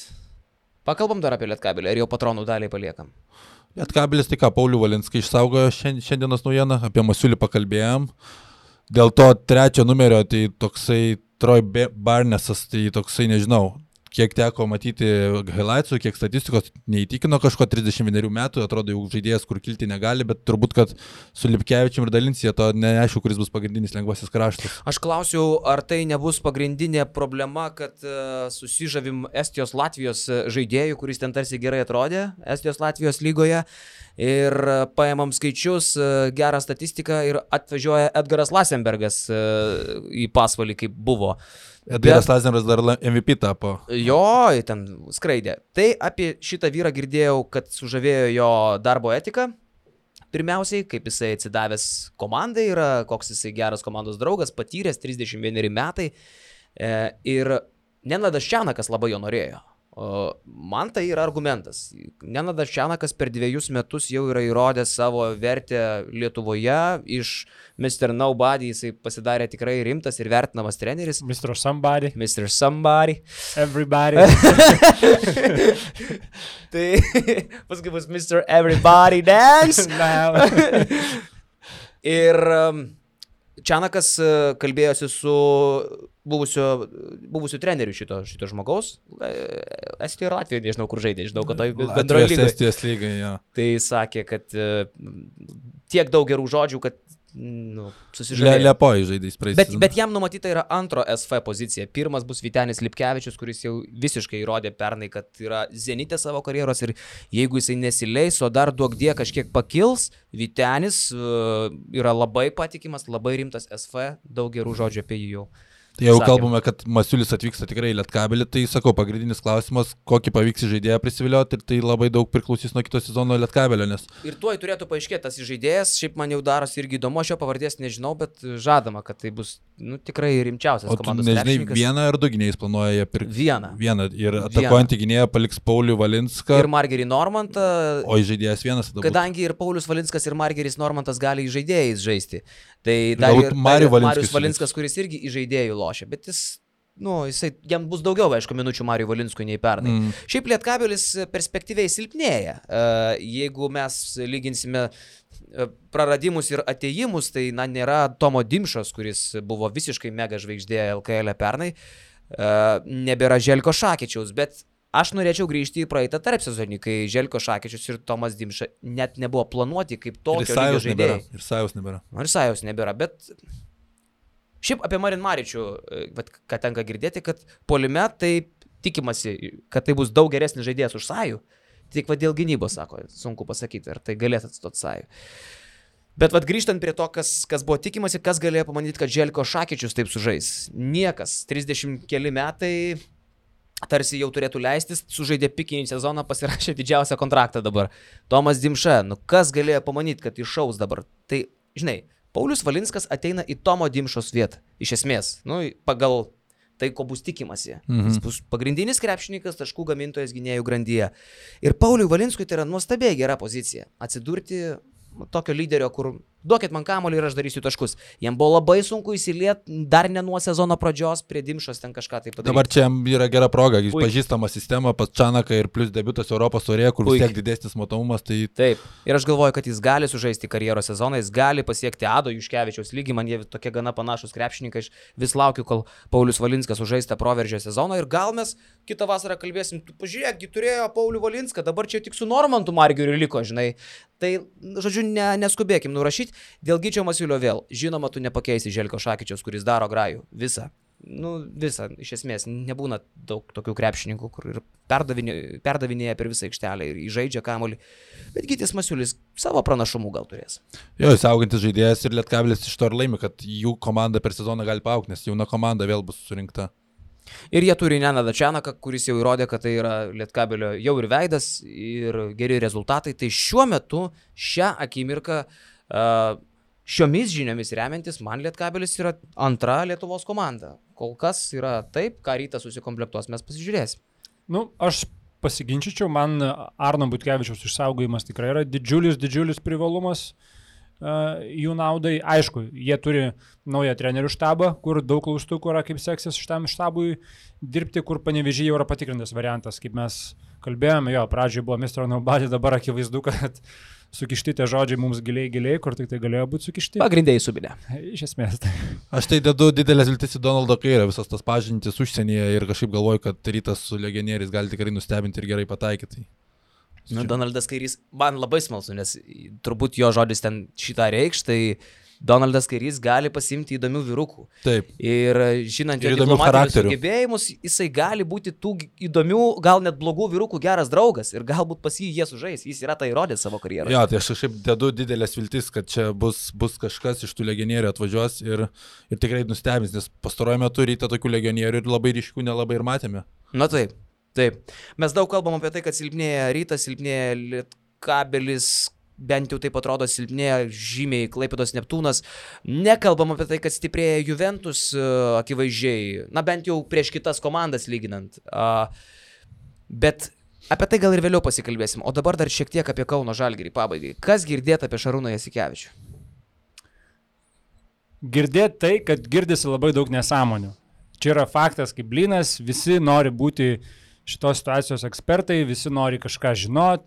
Pakalbam dar apie Lietkabelį, ar jau patronų daliai paliekam? Lietkabelis, tai ką, Paulių Valinskai išsaugojo šiandienos naujieną, apie Masiulį pakalbėjom. Dėl to trečio numerio, tai toksai Troy Barnesas, tai toksai, nežinau, kiek teko matyti highlightsų, kiek statistikos neįtikino kažko, trisdešimt vienerių metų, atrodo jau žaidėjas, kur kilti negali, bet turbūt, kad su Lipkevičium ir Dalincija to neaišku, kuris bus pagrindinis lengvasis kraštas. Aš klausiau, ar tai nebus pagrindinė problema, kad uh, susižavim Estijos Latvijos žaidėjų, kuris ten tarsi gerai atrodė Estijos Latvijos lygoje ir uh, paėmam skaičius, uh, gerą statistiką ir atvažiuoja Edgaras Lasenbergas uh, į pasvalį, kaip buvo. Edgaras Lasenbergas dar M V P tapo. Jo, ten skraidė. Tai apie šitą vyrą girdėjau, kad sužavėjo jo darbo etika. Pirmiausiai, kaip jisai atsidavęs komandai yra, koks jisai geras komandos draugas, patyręs trisdešimt vieneri metai. E, ir Nenadas Čianakas labai jo norėjo. O, man tai yra argumentas. Nenadas Čianakas per dviejus metus jau yra įrodęs savo vertę Lietuvoje. Iš mister Nobody jisai pasidarė tikrai rimtas ir vertinamas treneris. mister Somebody. mister Somebody. Everybody. Tai paskui bus mister Everybody Dance. Ir um, Čianakas kalbėjosi su buvusio, buvusiu treneriu šito, šito žmogaus. Estijoje ir Latvijoje, nežinau, kur žaidė, žinau, kad tai bendroje lygoje. Estijos lygai, jo. Tai sakė, kad tiek daug gerų žodžių, kad nu, susižadėjo. Le, Liepojai žaidėjais praeis. Bet, bet jam numatyta yra antro S F pozicija. Pirmas bus Vytenis Lipkevičius, kuris jau visiškai įrodė pernai, kad yra zenite savo karjeros ir jeigu jisai nesileis, o dar duok die kažkiek pakils, Vytenis uh, yra labai patikimas, labai rimtas S F, daug gerų žodžių apie jį jau. Tai jau sakėm. Kalbame, kad Masiulis atvyksta tikrai į Lietkabelį, tai sakau, pagrindinis klausimas, kokį pavyks žaidėją prisivilioti ir tai labai daug priklausys nuo kito sezono Lietkabelio, nes... Ir tuoj turėtų paaiškėti tas žaidėjas, šiaip man jau darosi irgi įdomu, aš jo pavardės nežinau, bet žadama, kad tai bus nu, tikrai rimčiausias komandos krepšininkas. O tu nežinai, vieną ar du gynėjus planuoja pirkti? Vieną. Vieną. Ir atakuojantį gynėją paliks Paulių Valinską. Ir Margerį Normantą. O žaidėjas vienas tada. Kadangi ir Paulius Valinskas ir Margeris Normantas gali žaidėjais žaisti. Tai dar ir Marius Valinskas, kuris irgi į žaidėjų lošia, bet jis, nu, jisai, jam bus daugiau, aišku, minučių Mariui Valinskui nei pernai. Mm. Šiaip Lietkabelis perspektyviai silpnėja. Jeigu mes lyginsime praradimus ir atėjimus, tai na, nėra Tomo Dimšos, kuris buvo visiškai mega žvaigždė L K L pernai, nebėra Želko Šakečiaus, bet aš norėčiau grįžti į praeitą tarpsezonį, kai Želko Šakečius ir Tomas Dimša net nebuvo planuoti kaip tokio lygio žaidėjai. Ir Sajos nebėra. Ir Sajos nebėra, bet šiaip apie Marin Maričių, ką tenka girdėti, kad puolime tai tikimasi, kad tai bus daug geresnis žaidėjas už Sajų. Tik va dėl gynybos, sako, sunku pasakyti, ar tai galės atstoti Sajų. Bet vat grįžtant prie to, kas, kas buvo tikimasi, kas galėjo pamanyti, kad Želko Šakečius taip sužais. Niekas, trisdešimt keli metai... tarsi jau turėtų leistis, sužaidė pikinį sezoną, pasirašė didžiausią kontraktą dabar. Tomas Dimša, nu kas galėjo pamanyti, kad iššaus dabar? Tai, žinai, Paulius Valinskas ateina į Tomo Dimšos vietą, iš esmės, nu, pagal tai, ko bus tikimasi. Mhm. Jis bus pagrindinis krepšininkas, taškų gamintojas gynėjų grandyje. Ir Pauliui Valinskui tai yra nuostabiai gera pozicija. Atsidurti tokio lyderio, kur duokit man kamuolį ir aš darysiu taškus. Jam buvo labai sunku įsilieti dar ne nuo sezono pradžios prie Dimšos ten kažką tai padaryti. Dabar čia yra gera proga, jis pažįstama sistema, pas Čanaką ir plus debiutas Europos taurėje, kur vis tiek didesnis matomumas. Tai... Taip. Ir aš galvoju, kad jis gali sužaisti karjeros sezoną, jis gali pasiekti Ado Juškevičiaus lygį, man jie tokie gana panašus krepšininkai, aš vis laukiu, kol Paulius Valinskas sužais tą proveržio sezoną ir gal mes kitą vasarą kalbėsim, tu pažiūrėk, turėjo Paulių Valinską, dabar čia tik su Normantu Margeriu liko, žinai. Tai, žodžiu, ne, neskubėkim nurašyti. Dėl Gyčio Masiulio vėl. Žinoma, tu nepakeisi Želko Šakečiaus, kuris daro grajų. Visą. Nu, visą. Iš esmės, nebūna daug tokių krepšininkų, kur ir perdavinė, perdavinėja per visą aikštelę ir įžaidžia kamuolį. Bet Gytis Masiulis savo pranašumų gal turės. Jo, jis augantis žaidėjas ir Lietkabelis iš to ir laimi, kad jų komanda per sezoną gali paaugti, nes jauna komanda vėl bus surinkta. Ir jie turi Nenadą Čianaką, kuris jau įrodė, kad tai yra Lietkabelio jau ir veidas, ir geri rezultatai. Tai šiuo metu, šią akimirką, šiomis žiniomis remiantis, man Lietkabelis yra antra Lietuvos komanda. Kol kas yra taip, ką Rytas susikomplektuos, mes pasižiūrėsim. Nu, aš pasiginčyčiau, man Arno Butkevičiaus išsaugojimas tikrai yra didžiulis, didžiulis privalumas. Jų naudai, aišku, jie turi naują trenerių štabą, kur daug klaustukų yra, kaip seksis šitam štabui dirbti, kur Panevėžyje jau yra patikrintas variantas, kaip mes kalbėjome, jo, pradžioje buvo mister Nobody, dabar akivaizdu, kad sukišti tie žodžiai mums giliai, giliai, kur tik tai galėjo būti sukišti. Pagrindėjai subinė. Iš esmės. Tai. Aš tai dedu didelės viltis į Donaldo Kairio, visas tas pažintis užsienyje ir kažkaip galvoju, kad Rytas su legionieriais gali tikrai nustebinti ir gerai pataikyti. Nu, Donaldas Kairys, man labai smalsu, nes turbūt jo žodis ten šitą reikš, tai Donaldas Kairys gali pasimti įdomių vyrukų. Taip. Ir žinant jo diplomatinius sugebėjimus, jisai gali būti tų įdomių, gal net blogų vyrukų geras draugas ir galbūt pas jį jie sužais, jis yra tai įrodęs savo karjeroje. Jo, tai aš kažkaip dedu didelės viltis, kad čia bus, bus kažkas iš tų legionierių atvažiuos ir, ir tikrai nustebins, nes pastaruoju metu Rytą tokių legionierių ir labai ryškių nelabai ir matėme. Na taip. Taip, mes daug kalbam apie tai, kad silpnėja Rytas, silpnėja Lietkabelis, bent jau taip atrodo silpnėja žymiai Klaipėdos Neptūnas. Nekalbam apie tai, kad stiprėja Juventus akivaizdžiai, na bent jau prieš kitas komandas lyginant. Bet apie tai gal ir vėliau pasikalbėsim. O dabar dar šiek tiek apie Kauno Žalgirį pabaigai. Kas girdėt apie Šarūną Jasikevičių? Girdėt tai, kad girdisi labai daug nesąmonių. Čia yra faktas, kaip blynas, visi nori būti šitos situacijos ekspertai, visi nori kažką žinot,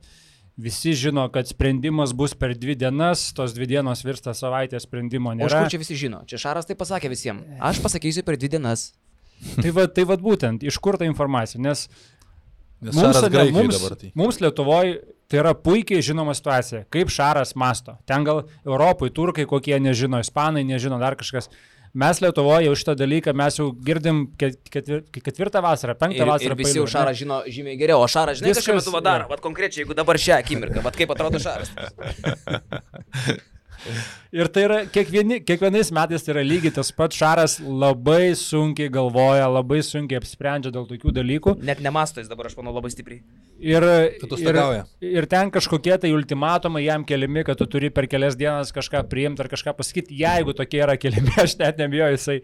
visi žino, kad sprendimas bus per dvi dienas, tos dvi dienos virsta savaitės sprendimo nėra. O iš kur čia visi žino? Čia Šaras tai pasakė visiems. Aš pasakysiu per dvi dienas. Tai va, tai va būtent, iš kur ta informacija, nes, Nes mums, Šaras ne, Graikijoj mums, dabar tai. mums Lietuvoje tai yra puikiai žinoma situacija, kaip Šaras masto. Ten gal Europai, turkai kokie nežino, ispanai nežino, dar kažkas. Mes Lietuvoje jau šitą dalyką mes jau girdim ketvir, ketvirtą vasarą, penktą ir, vasarą. Ir visi jau Šarą žino žymiai geriau, o Šaras žinai, ką šiuo metu daro, vat konkrečiai, jeigu dabar šią akimirką, vat kaip atrodo Šaras. Ir tai yra, kiekvieni, kiekvienais metais tai yra lygiai tas pats, Šaras labai sunkiai galvoja, labai sunkiai apsprendžia dėl tokių dalykų. Net nemasto jis dabar, aš manau, labai stipriai. Ir, ir, ir ten kažkokie tai ultimatumai jam keliami, kad tu turi per kelias dienas kažką priimti ar kažką pasakyti. Jeigu tokie yra keliami, aš net nebijoju, jisai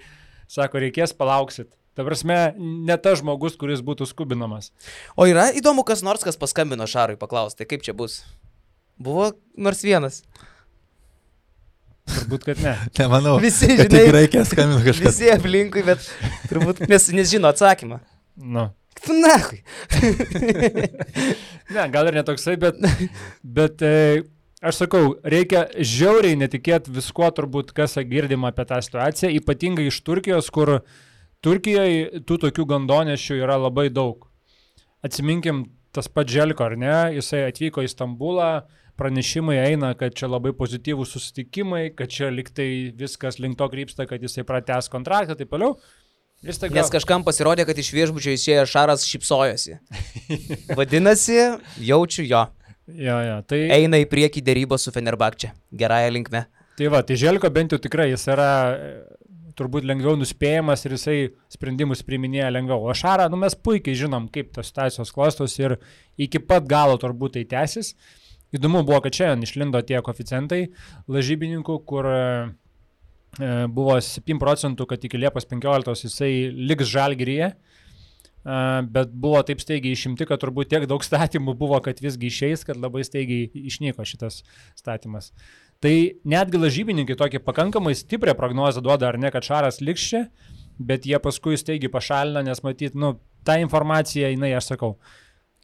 sako, reikės palauksit. Ta prasme, ne tas žmogus, kuris būtų skubinamas. O yra įdomu, kas nors, kas paskambino Šarui paklausti, kaip čia bus. Buvo nors vienas. Turbūt, kad ne. Nemanau. Visi, žinai, žinai, reikia skambinti kažkas. Visi aplinkui, bet turbūt nes, nežino atsakymą. Nu. Nahui. Ne, gal ir netoksai, bet, bet e, aš sakau, reikia žiauriai netikėti viskuo turbūt, kas girdim apie tą situaciją, ypatingai iš Turkijos, kur Turkijoje tų tokių gandonešių yra labai daug. Atsiminkim tas pats Želko, ar ne? Jisai atvyko į Stambulą, pranešimai eina, kad čia labai pozityvūs susitikimai, kad čia liktai viskas link to krypsta, kad jisai pratęs kontraktą, taip toliau. Gal... Nes kažkam pasirodė, kad iš viešbučio išėjo Šaras šypsojosi. Vadinasi, jaučiu jo. Jo, jo, tai... Eina į priekį dėrybos su Fenerbahče. Gerąją linkme. Tai va, tai Želko bent jau tikrai jis yra turbūt lengviau nuspėjamas ir jisai sprendimus priiminėja lengviau. O Šarą, nu mes puikiai žinom, kaip tos situacijos klostos ir iki pat galo turbūt tai tęsis. Įdomu buvo, kad šiandien išlindo tie koeficientai lažybininkų, kur e, buvo septyni procentų, kad iki Liepos penkioliktos jisai liks Žalgiryje, e, bet buvo taip staigiai išimti, kad turbūt tiek daug statymų buvo, kad visgi išeis, kad labai staigiai išnyko šitas statymas. Tai netgi lažybininkai tokį pakankamai stiprią prognozę duoda, ar ne, kad Šaras liks čia, bet jie paskui staigiai pašalina, nes matyt, nu, ta informacija, jinai, aš sakau,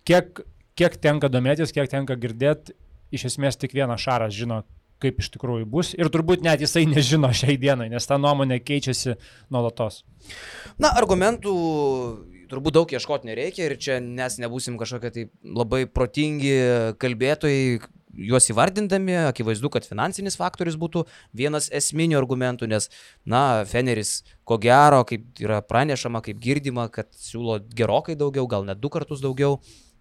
kiek... Kiek tenka domėtis, kiek tenka girdėti, iš esmės tik vienas Šaras žino, kaip iš tikrųjų bus. Ir turbūt net jisai nežino šiai dienai, nes ta nuomonė keičiasi nuolatos. Na, argumentų turbūt daug ieškoti nereikia ir čia mes nebūsim kažkokie tai labai protingi kalbėtojai, juos įvardindami, akivaizdu, kad finansinis faktorius būtų vienas esminių argumentų, nes, na, Feneris, ko gero, kaip yra pranešama, kaip girdima, kad siūlo gerokai daugiau, gal net du kartus daugiau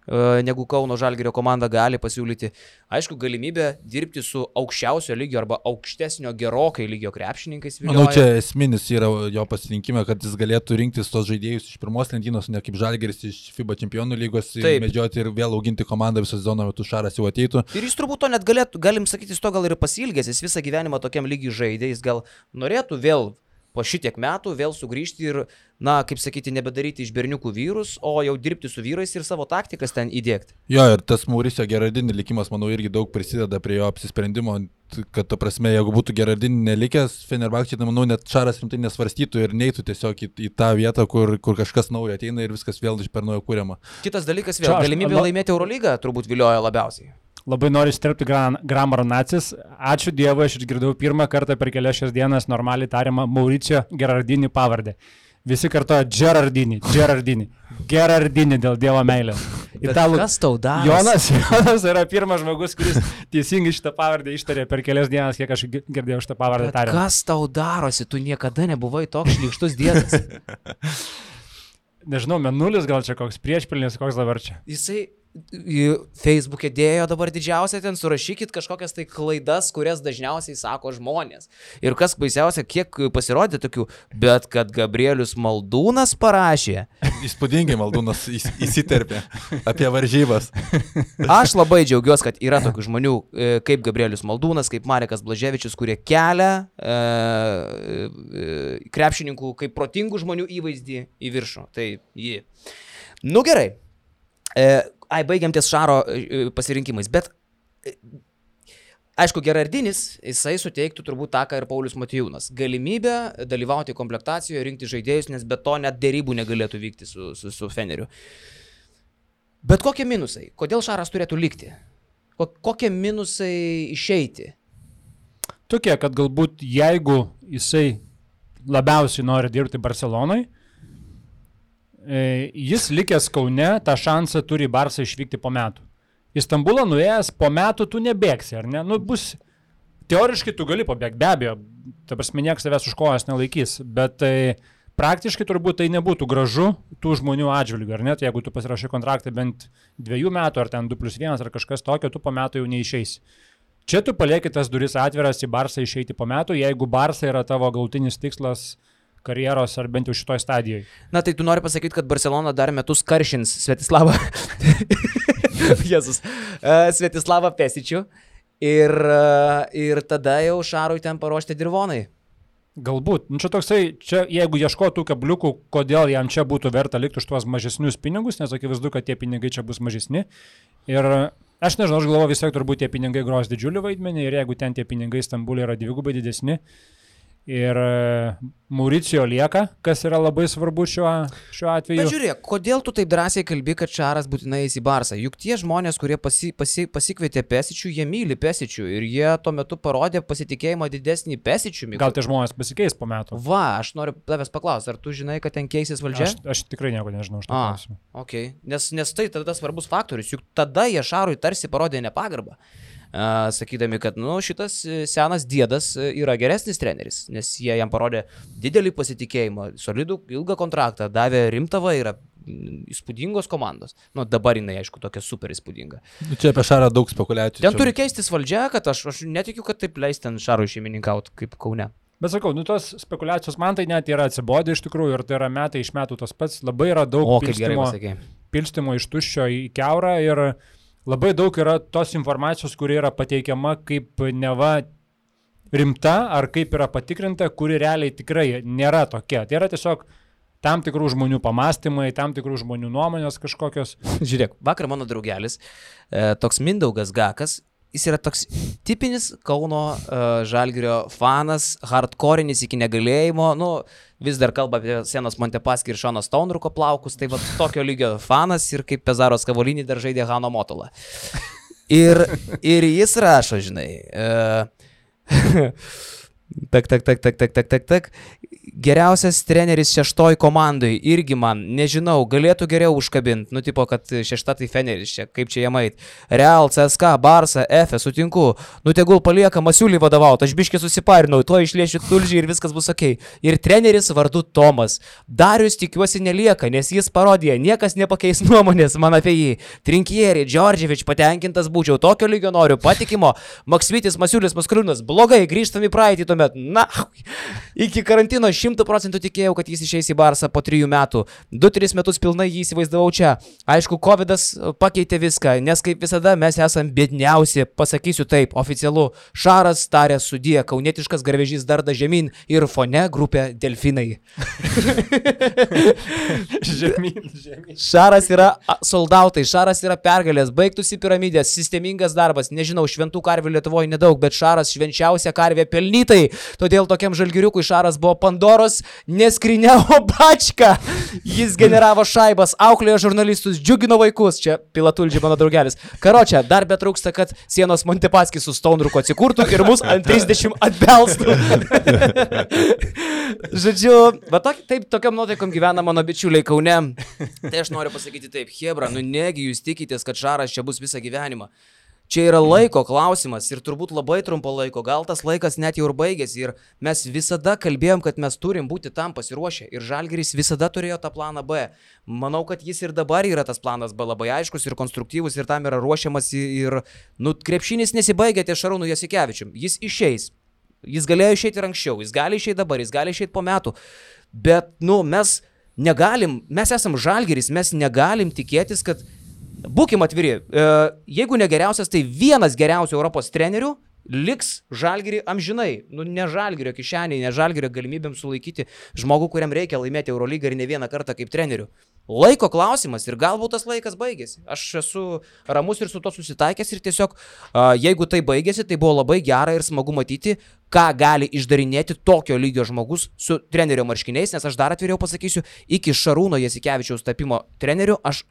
negu Kauno Žalgirio komanda gali pasiūlyti. Aišku, galimybė dirbti su aukščiausio lygio arba aukštesnio gerokai lygio krepšininkais vilioja. Manau, čia esminis yra jo pasirinkime, kad jis galėtų rinktis tos žaidėjus iš pirmos lentynos, ne kaip Žalgiris iš FIBA čempionų lygos, medžioti ir vėl auginti komandą visą sezoną metu, Šaras jau ateitų. Ir jis turbūt to net galėtų, galim sakyti, jis to gal ir pasilgęs, jis visą gyvenimą tokiam lygiai žaidė, jis gal norėtų vėl po šitiek metų vėl sugrįžti ir, na, kaip sakyti, nebedaryti iš berniukų vyrus, o jau dirbti su vyrais ir savo taktikas ten įdėkti. Jo, ir tas Mauricio Gerardini likimas, manau, irgi daug prisideda prie jo apsisprendimo, kad, ta prasme, jeigu būtų Gerardini nelikęs, Fenerbahče, tai manau, net Šaras rimtai nesvarstytų ir neitų tiesiog į, į tą vietą, kur, kur kažkas naujo ateina ir viskas vėl iš per naujo kūriama. Kitas dalykas vėl, galimybė laimėti Eurolygą turbūt vilioja labiausiai. Labai noriu įsiterpti Gramaro nacis. Ačiū Dievui, aš išgirdau pirmą kartą per kelias šias dienas normaliai tariamą Mauricio Gerardini pavardę. Visi kartoja Gerardini, Gerardini, Gerardini dėl Dievo meilės. Italų... Kas tau darosi? Jonas, Jonas yra pirmas žmogus, kuris teisingai šitą pavardę ištarė per kelias dienas, kiek aš girdėjau šitą pavardę tariamą. Kas tau darosi? Tu niekada nebuvai toks šlykštus dėdas. Nežinau, menulis gal čia koks priešpilnis, koks dabar čia. Jisai Facebook'e dėjo dabar didžiausia, ten surašykit kažkokias tai klaidas, kurias dažniausiai sako žmonės. Ir kas baisiausia, kiek pasirodė tokių, bet kad Gabrielius Maldūnas parašė. Įspūdingai Maldūnas įsiterpė apie varžybas. Aš labai džiaugiuosi, kad yra tokių žmonių kaip Gabrielius Maldūnas, kaip Marekas Blaževičius, kurie kelia e, e, krepšininkų kaip protingų žmonių įvaizdį į viršų. Tai jį. Nu gerai. E, Ai, baigiam ties Šaro pasirinkimais, bet aišku, Gerardinis, jisai suteiktų turbūt tą, ką ir Paulius Motiejūnas. Galimybę dalyvauti komplektacijoje, rinkti žaidėjus, nes be to net dėrybų negalėtų vykti su, su, su Feneriu. Bet kokie minusai? Kodėl Šaras turėtų likti? Kokie minusai išeiti? Tokie, kad galbūt jeigu jisai labiausiai nori dirbti Barcelonai, jis likęs Kaune tą šansą turi Barsą išvykti po metų. Į Stambulą nuėjęs po metų tu nebėgsi, ar ne? Nu, bus, teoriškai tu gali pabėgti, be abejo, ta prasme, niekas savęs už kojas nelaikys, bet tai praktiškai turbūt tai nebūtų gražu tų žmonių atžvilgių, ar net, jeigu tu pasirašai kontraktą bent dviejų metų, ar ten du plus vienas, ar kažkas tokio, tu po metų jau neišeisi. Čia tu palieki tas duris atviras į Barsą išeiti po metų, jeigu Barsa yra tavo galutinis tikslas karjeros, ar bent jau šitoj stadijoje. Na tai tu nori pasakyti, kad Barcelona dar metus karšins Svetislavą, Jėzus, uh, Svetislavą Pesičių ir, uh, ir tada jau Šarui ten paruošti dirvonai. Galbūt. Nu, čia toksai, čia, jeigu ieškotų kabliukų, kodėl jam čia būtų verta likti už tuos mažesnius pinigus, nes akivaizdu, kad tie pinigai čia bus mažesni. Ir aš nežinau, aš galvoju, vis tiek turbūt tie pinigai gros didžiulį vaidmenį ir jeigu ten tie pinigai Stambulė yra dvigubai didesni ir Mauricijo lieka, kas yra labai svarbu šiuo, šiuo atveju. Bet žiūrėk, kodėl tu taip drąsiai kalbi, kad Šaras būtinai eis į Barsą? Juk tie žmonės, kurie pasi, pasi, pasikvietė Pesičių, jie myli Pesičių ir jie tuo metu parodė pasitikėjimą didesnį Pesičių. Gal tie žmonės pasikeis po metų? Va, aš noriu tavęs paklausti, ar tu žinai, kad ten keisis valdžia? Aš, aš tikrai nieko nežinau už tą klausimą. Okay. Nes, nes tai tada svarbus faktorius, juk tada jie Šarui tarsi parodė nepagarbą. Uh, sakydami, kad nu, šitas senas diedas yra geresnis treneris, nes jie jam parodė didelį pasitikėjimą, solidų ilgą kontraktą, davė rimtą vairą, įspūdingos komandos. Nu, dabar jinai, aišku, tokia super įspūdinga. Čia apie Šarą daug spekulacijų. Ten turi keistis valdžia, kad aš, aš netikiu, kad taip leis ten Šarui šeimininkauti kaip Kaune. Bet sakau, nu tos spekulacijos man tai net yra atsibodę iš tikrųjų ir tai yra metai iš metų tas pats. Labai yra daug o, pilstimo, pilstimo iš tuščio į kiaurą ir labai daug yra tos informacijos, kuri yra pateikiama kaip neva rimta ar kaip yra patikrinta, kuri realiai tikrai nėra tokia. Tai yra tiesiog tam tikrų žmonių pamastymai, tam tikrų žmonių nuomonės kažkokios. Žiūrėk, vakar mano draugelis, e, toks Mindaugas Gakas, jis yra toks tipinis Kauno uh, Žalgirio fanas, hardcore'is iki negalėjimo, nu, vis dar kalba apie Senos Montepaskį ir Šono Staunruko plaukus, tai va tokio lygio fanas ir kaip Pezaros Kavolinį dar žaidė Hano Motolą. Ir, ir jis rašo, žinai, uh, tak, tak, tak, tak, tak, tak, tak, tak, geriausias treneris šeštoj komandai, irgi man, nežinau, galėtų geriau užkabinti, nu tipo, kad šešta tai Feneris čia, kaip čia jie mait. Real, C S K, Barsa, F, sutinku, nu tegul palieka Masiulį vadovauti, aš biškai susiparinau, to išlėšiu tulžį ir viskas bus ok. Ir treneris vardu Tomas. Darius tikiuosi nelieka, nes jis parodė, niekas nepakeis nuomonės man apie jį. Trinkieri, Džordževič, patenkintas būčiau, tokio lygio noriu, patikimo, Maksvitis, Masiulis, Maskaliūnas, blogai, grįžtam į praeitį tuomet, na, iki karantino šimtų procentų tikėjau, kad jis išeis į Barsą po trijų metų. Du tris metus pilnai jį įsivaizdavau čia. Aišku, Covidas pakeitė viską, nes kaip visada mes esam biedniausi, pasakysiu taip, oficialu. Šaras tarė sudie, kaunietiškas garvežys darda žemyn ir fone grupė Delfinai. žemyn, žemyn. Šaras yra soldautai, Šaras yra pergalės, baigtųsi piramidės, sistemingas darbas, nežinau, šventų karvių Lietuvoje nedaug, bet Šaras švenčiausia karvė pelnytai. Todėl tokiam žalgiriukui Šaras buvo Pandoros neskrinė, o bačka. Jis generavo šaibas, auklėjo žurnalistus, džiugino vaikus. Čia Pilatulžiai mano draugelis. Karočią, dar betrūksta, kad Sienos Montepaskis su Staunruku atsikurtų ir mus ant trisdešimt atbelstų. Žodžiu, va tok, taip tokiam nuotaikom gyvena mano bičiuliai Kaune. Tai aš noriu pasakyti taip, Hebra, nu negi jūs tikitės, kad Šaras čia bus visą gyvenimą. Čia yra laiko klausimas ir turbūt labai trumpo laiko, gal tas laikas net jau ir baigėsi ir mes visada kalbėjom, kad mes turim būti tam pasiruošę ir Žalgiris visada turėjo tą planą B. Manau, kad jis ir dabar yra tas planas B labai aiškus ir konstruktyvus ir tam yra ruošiamas ir, nu, krepšinis nesibaigia ties Šarūnu Jasikevičium, jis išeis, jis galėjo išeiti ir anksčiau, jis gali išeiti dabar, jis gali išeiti po metų, bet, nu, mes negalim, mes esam Žalgiris, mes negalim tikėtis, kad būkim atviri, jeigu ne geriausias, tai vienas geriausių Europos trenerių liks Žalgirį amžinai. Nu, ne Žalgirio kišeniai, ne Žalgirio galimybėm sulaikyti žmogų, kuriam reikia laimėti Eurolygą ir ne vieną kartą kaip trenerių. Laiko klausimas ir galbūt tas laikas baigėsi. Aš esu ramus ir su to susitaikęs ir tiesiog, jeigu tai baigėsi, tai buvo labai gera ir smagu matyti, ką gali išdarinėti tokio lygio žmogus su trenerio marškiniais, nes aš dar atviriau pasakysiu, iki Šarūno Jasikevičiaus tapimo treneriu aš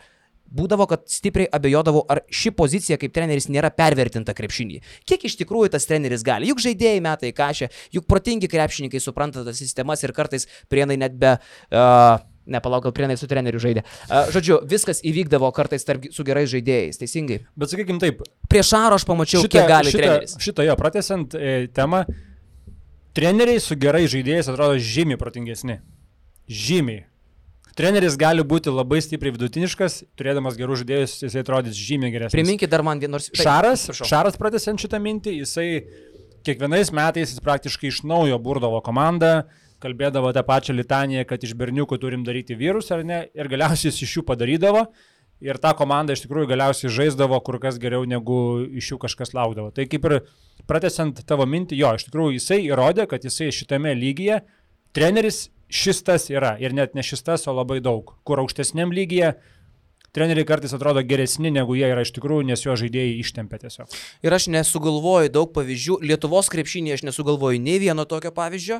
būdavo, kad stipriai abejodavau, ar ši pozicija kaip treneris nėra pervertinta krepšinį. Kiek iš tikrųjų tas treneris gali? Juk žaidėjai metai kažė, juk protingi krepšininkai supranta tas sistemas ir kartais Prienai net be... Uh, Ne, palauk, gal Prienai su treneriu žaidė. Uh, žodžiu, viskas įvykdavo kartais tarp, su gerais žaidėjais, teisingai. Bet sakykim taip. Prieš Šaro aš pamačiau, šitą, kiek gali šitą, treneris. Šitą jo, pratęsiant e, temą, treneriai su gerais žaidėjais atrodo žymiai protingesni. Žymiai. Treneris gali būti labai stipriai vidutiniškas, turėdamas gerų žaidėjus, jisai atrodys žymiai geresnis. Priminkit dar man vienos... Šaras, Šaras pratęsiant šitą mintį, jisai kiekvienais metais jis praktiškai iš naujo burdavo komandą, kalbėdavo tą pačią litaniją, kad iš berniukų turim daryti vyrus ar ne, ir galiausiai jis iš jų padarydavo, ir ta komanda iš tikrųjų galiausiai žaisdavo kur kas geriau, negu iš jų kažkas laukdavo. Tai kaip ir pratęsiant tavo mintį, jo, iš tikrųjų jisai įrodė, kad jisai šitame lygyje, treneris šis tas yra, ir net ne šis tas, o labai daug, kur aukštesniam lygyje treneriai kartais atrodo geresni, negu jie yra iš tikrųjų, nes jo žaidėjai ištempia tiesiog. Ir aš nesugalvoju daug pavyzdžių. Lietuvos krepšinėje aš nesugalvoju nei vieno tokio pavyzdžio.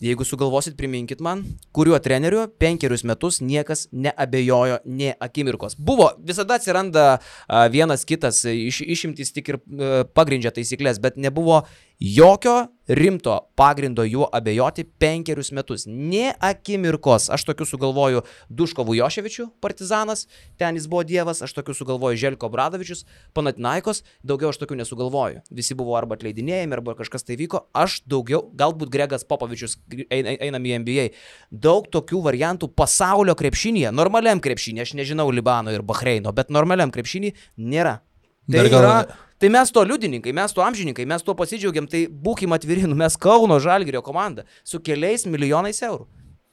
Jeigu sugalvosit, priminkit man, kuriuo treneriu penkerius metus niekas neabejojo nė akimirkos. Buvo, visada atsiranda a, vienas kitas, iš, išimtis tik ir a, pagrindžia taisyklės, bet nebuvo jokio rimto pagrindo juo abejoti penkerius metus. Nė akimirkos. Aš tokių sugalvoju Duško Vujoševičių, Partizanas, ten jis buvo dievas, aš tokių sugalvoju Željko Bradovičius, Panathinaikos, daugiau aš tokių nesugalvoju. Visi buvo arba atleidinėjami, arba kažkas tai vyko. Aš daugiau, galbūt Gregas Popovičius, einam į N B A. Daug tokių variantų pasaulio krepšinėje, normaliam krepšinėje, aš nežinau Libano ir Bahreino, bet normaliam krepšinėje nėra. Tai gal... yra... Tai mes to liudininkai, mes to amžininkai, mes to pasidžiaugiam, tai būkim atviri, nu mes Kauno Žalgirio komanda su keliais milijonais eurų.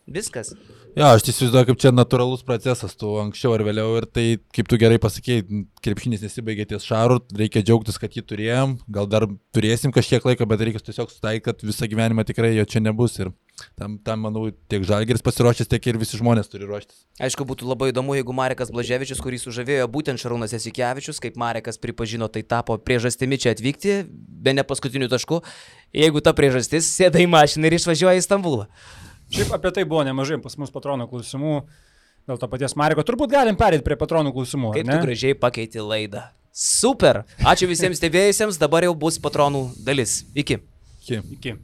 Viskas. Jo, aš įsivaizduoju, kaip čia natūralus procesas, tu anksčiau ar vėliau, ir tai, kaip tu gerai pasakėjai, krepšinis nesibaigė ties Šaru, reikia džiaugtis, kad jį turėjom, gal dar turėsim kažkiek laiko, bet reikia tiesiog sutaikyti, kad visą gyvenimą tikrai jo čia nebus, ir tam, tam manau, tiek Žalgiris pasiruošęs, tiek ir visi žmonės turi ruoštis. Aišku, būtų labai įdomu, jeigu Marekas Blaževičius, kurį sužavėjo būtent Šarūnas Jasikevičius, kaip Marekas pripažino, tai tapo priežastimi čia atvykti, be ne paskutinių taškų, jeigu ta priežastis, sėda į mašiną ir išvažiuoja į Stambulą. Šiaip apie tai buvo nemažai pas mus patronų klausimų, dėl to paties Mareko. Turbūt galim perėti prie patronų klausimų. Kaip tu gražiai pakeiti laidą. Super. Ačiū visiems stebėjusiems, dabar jau bus patronų dalis. Iki. Iki. Iki.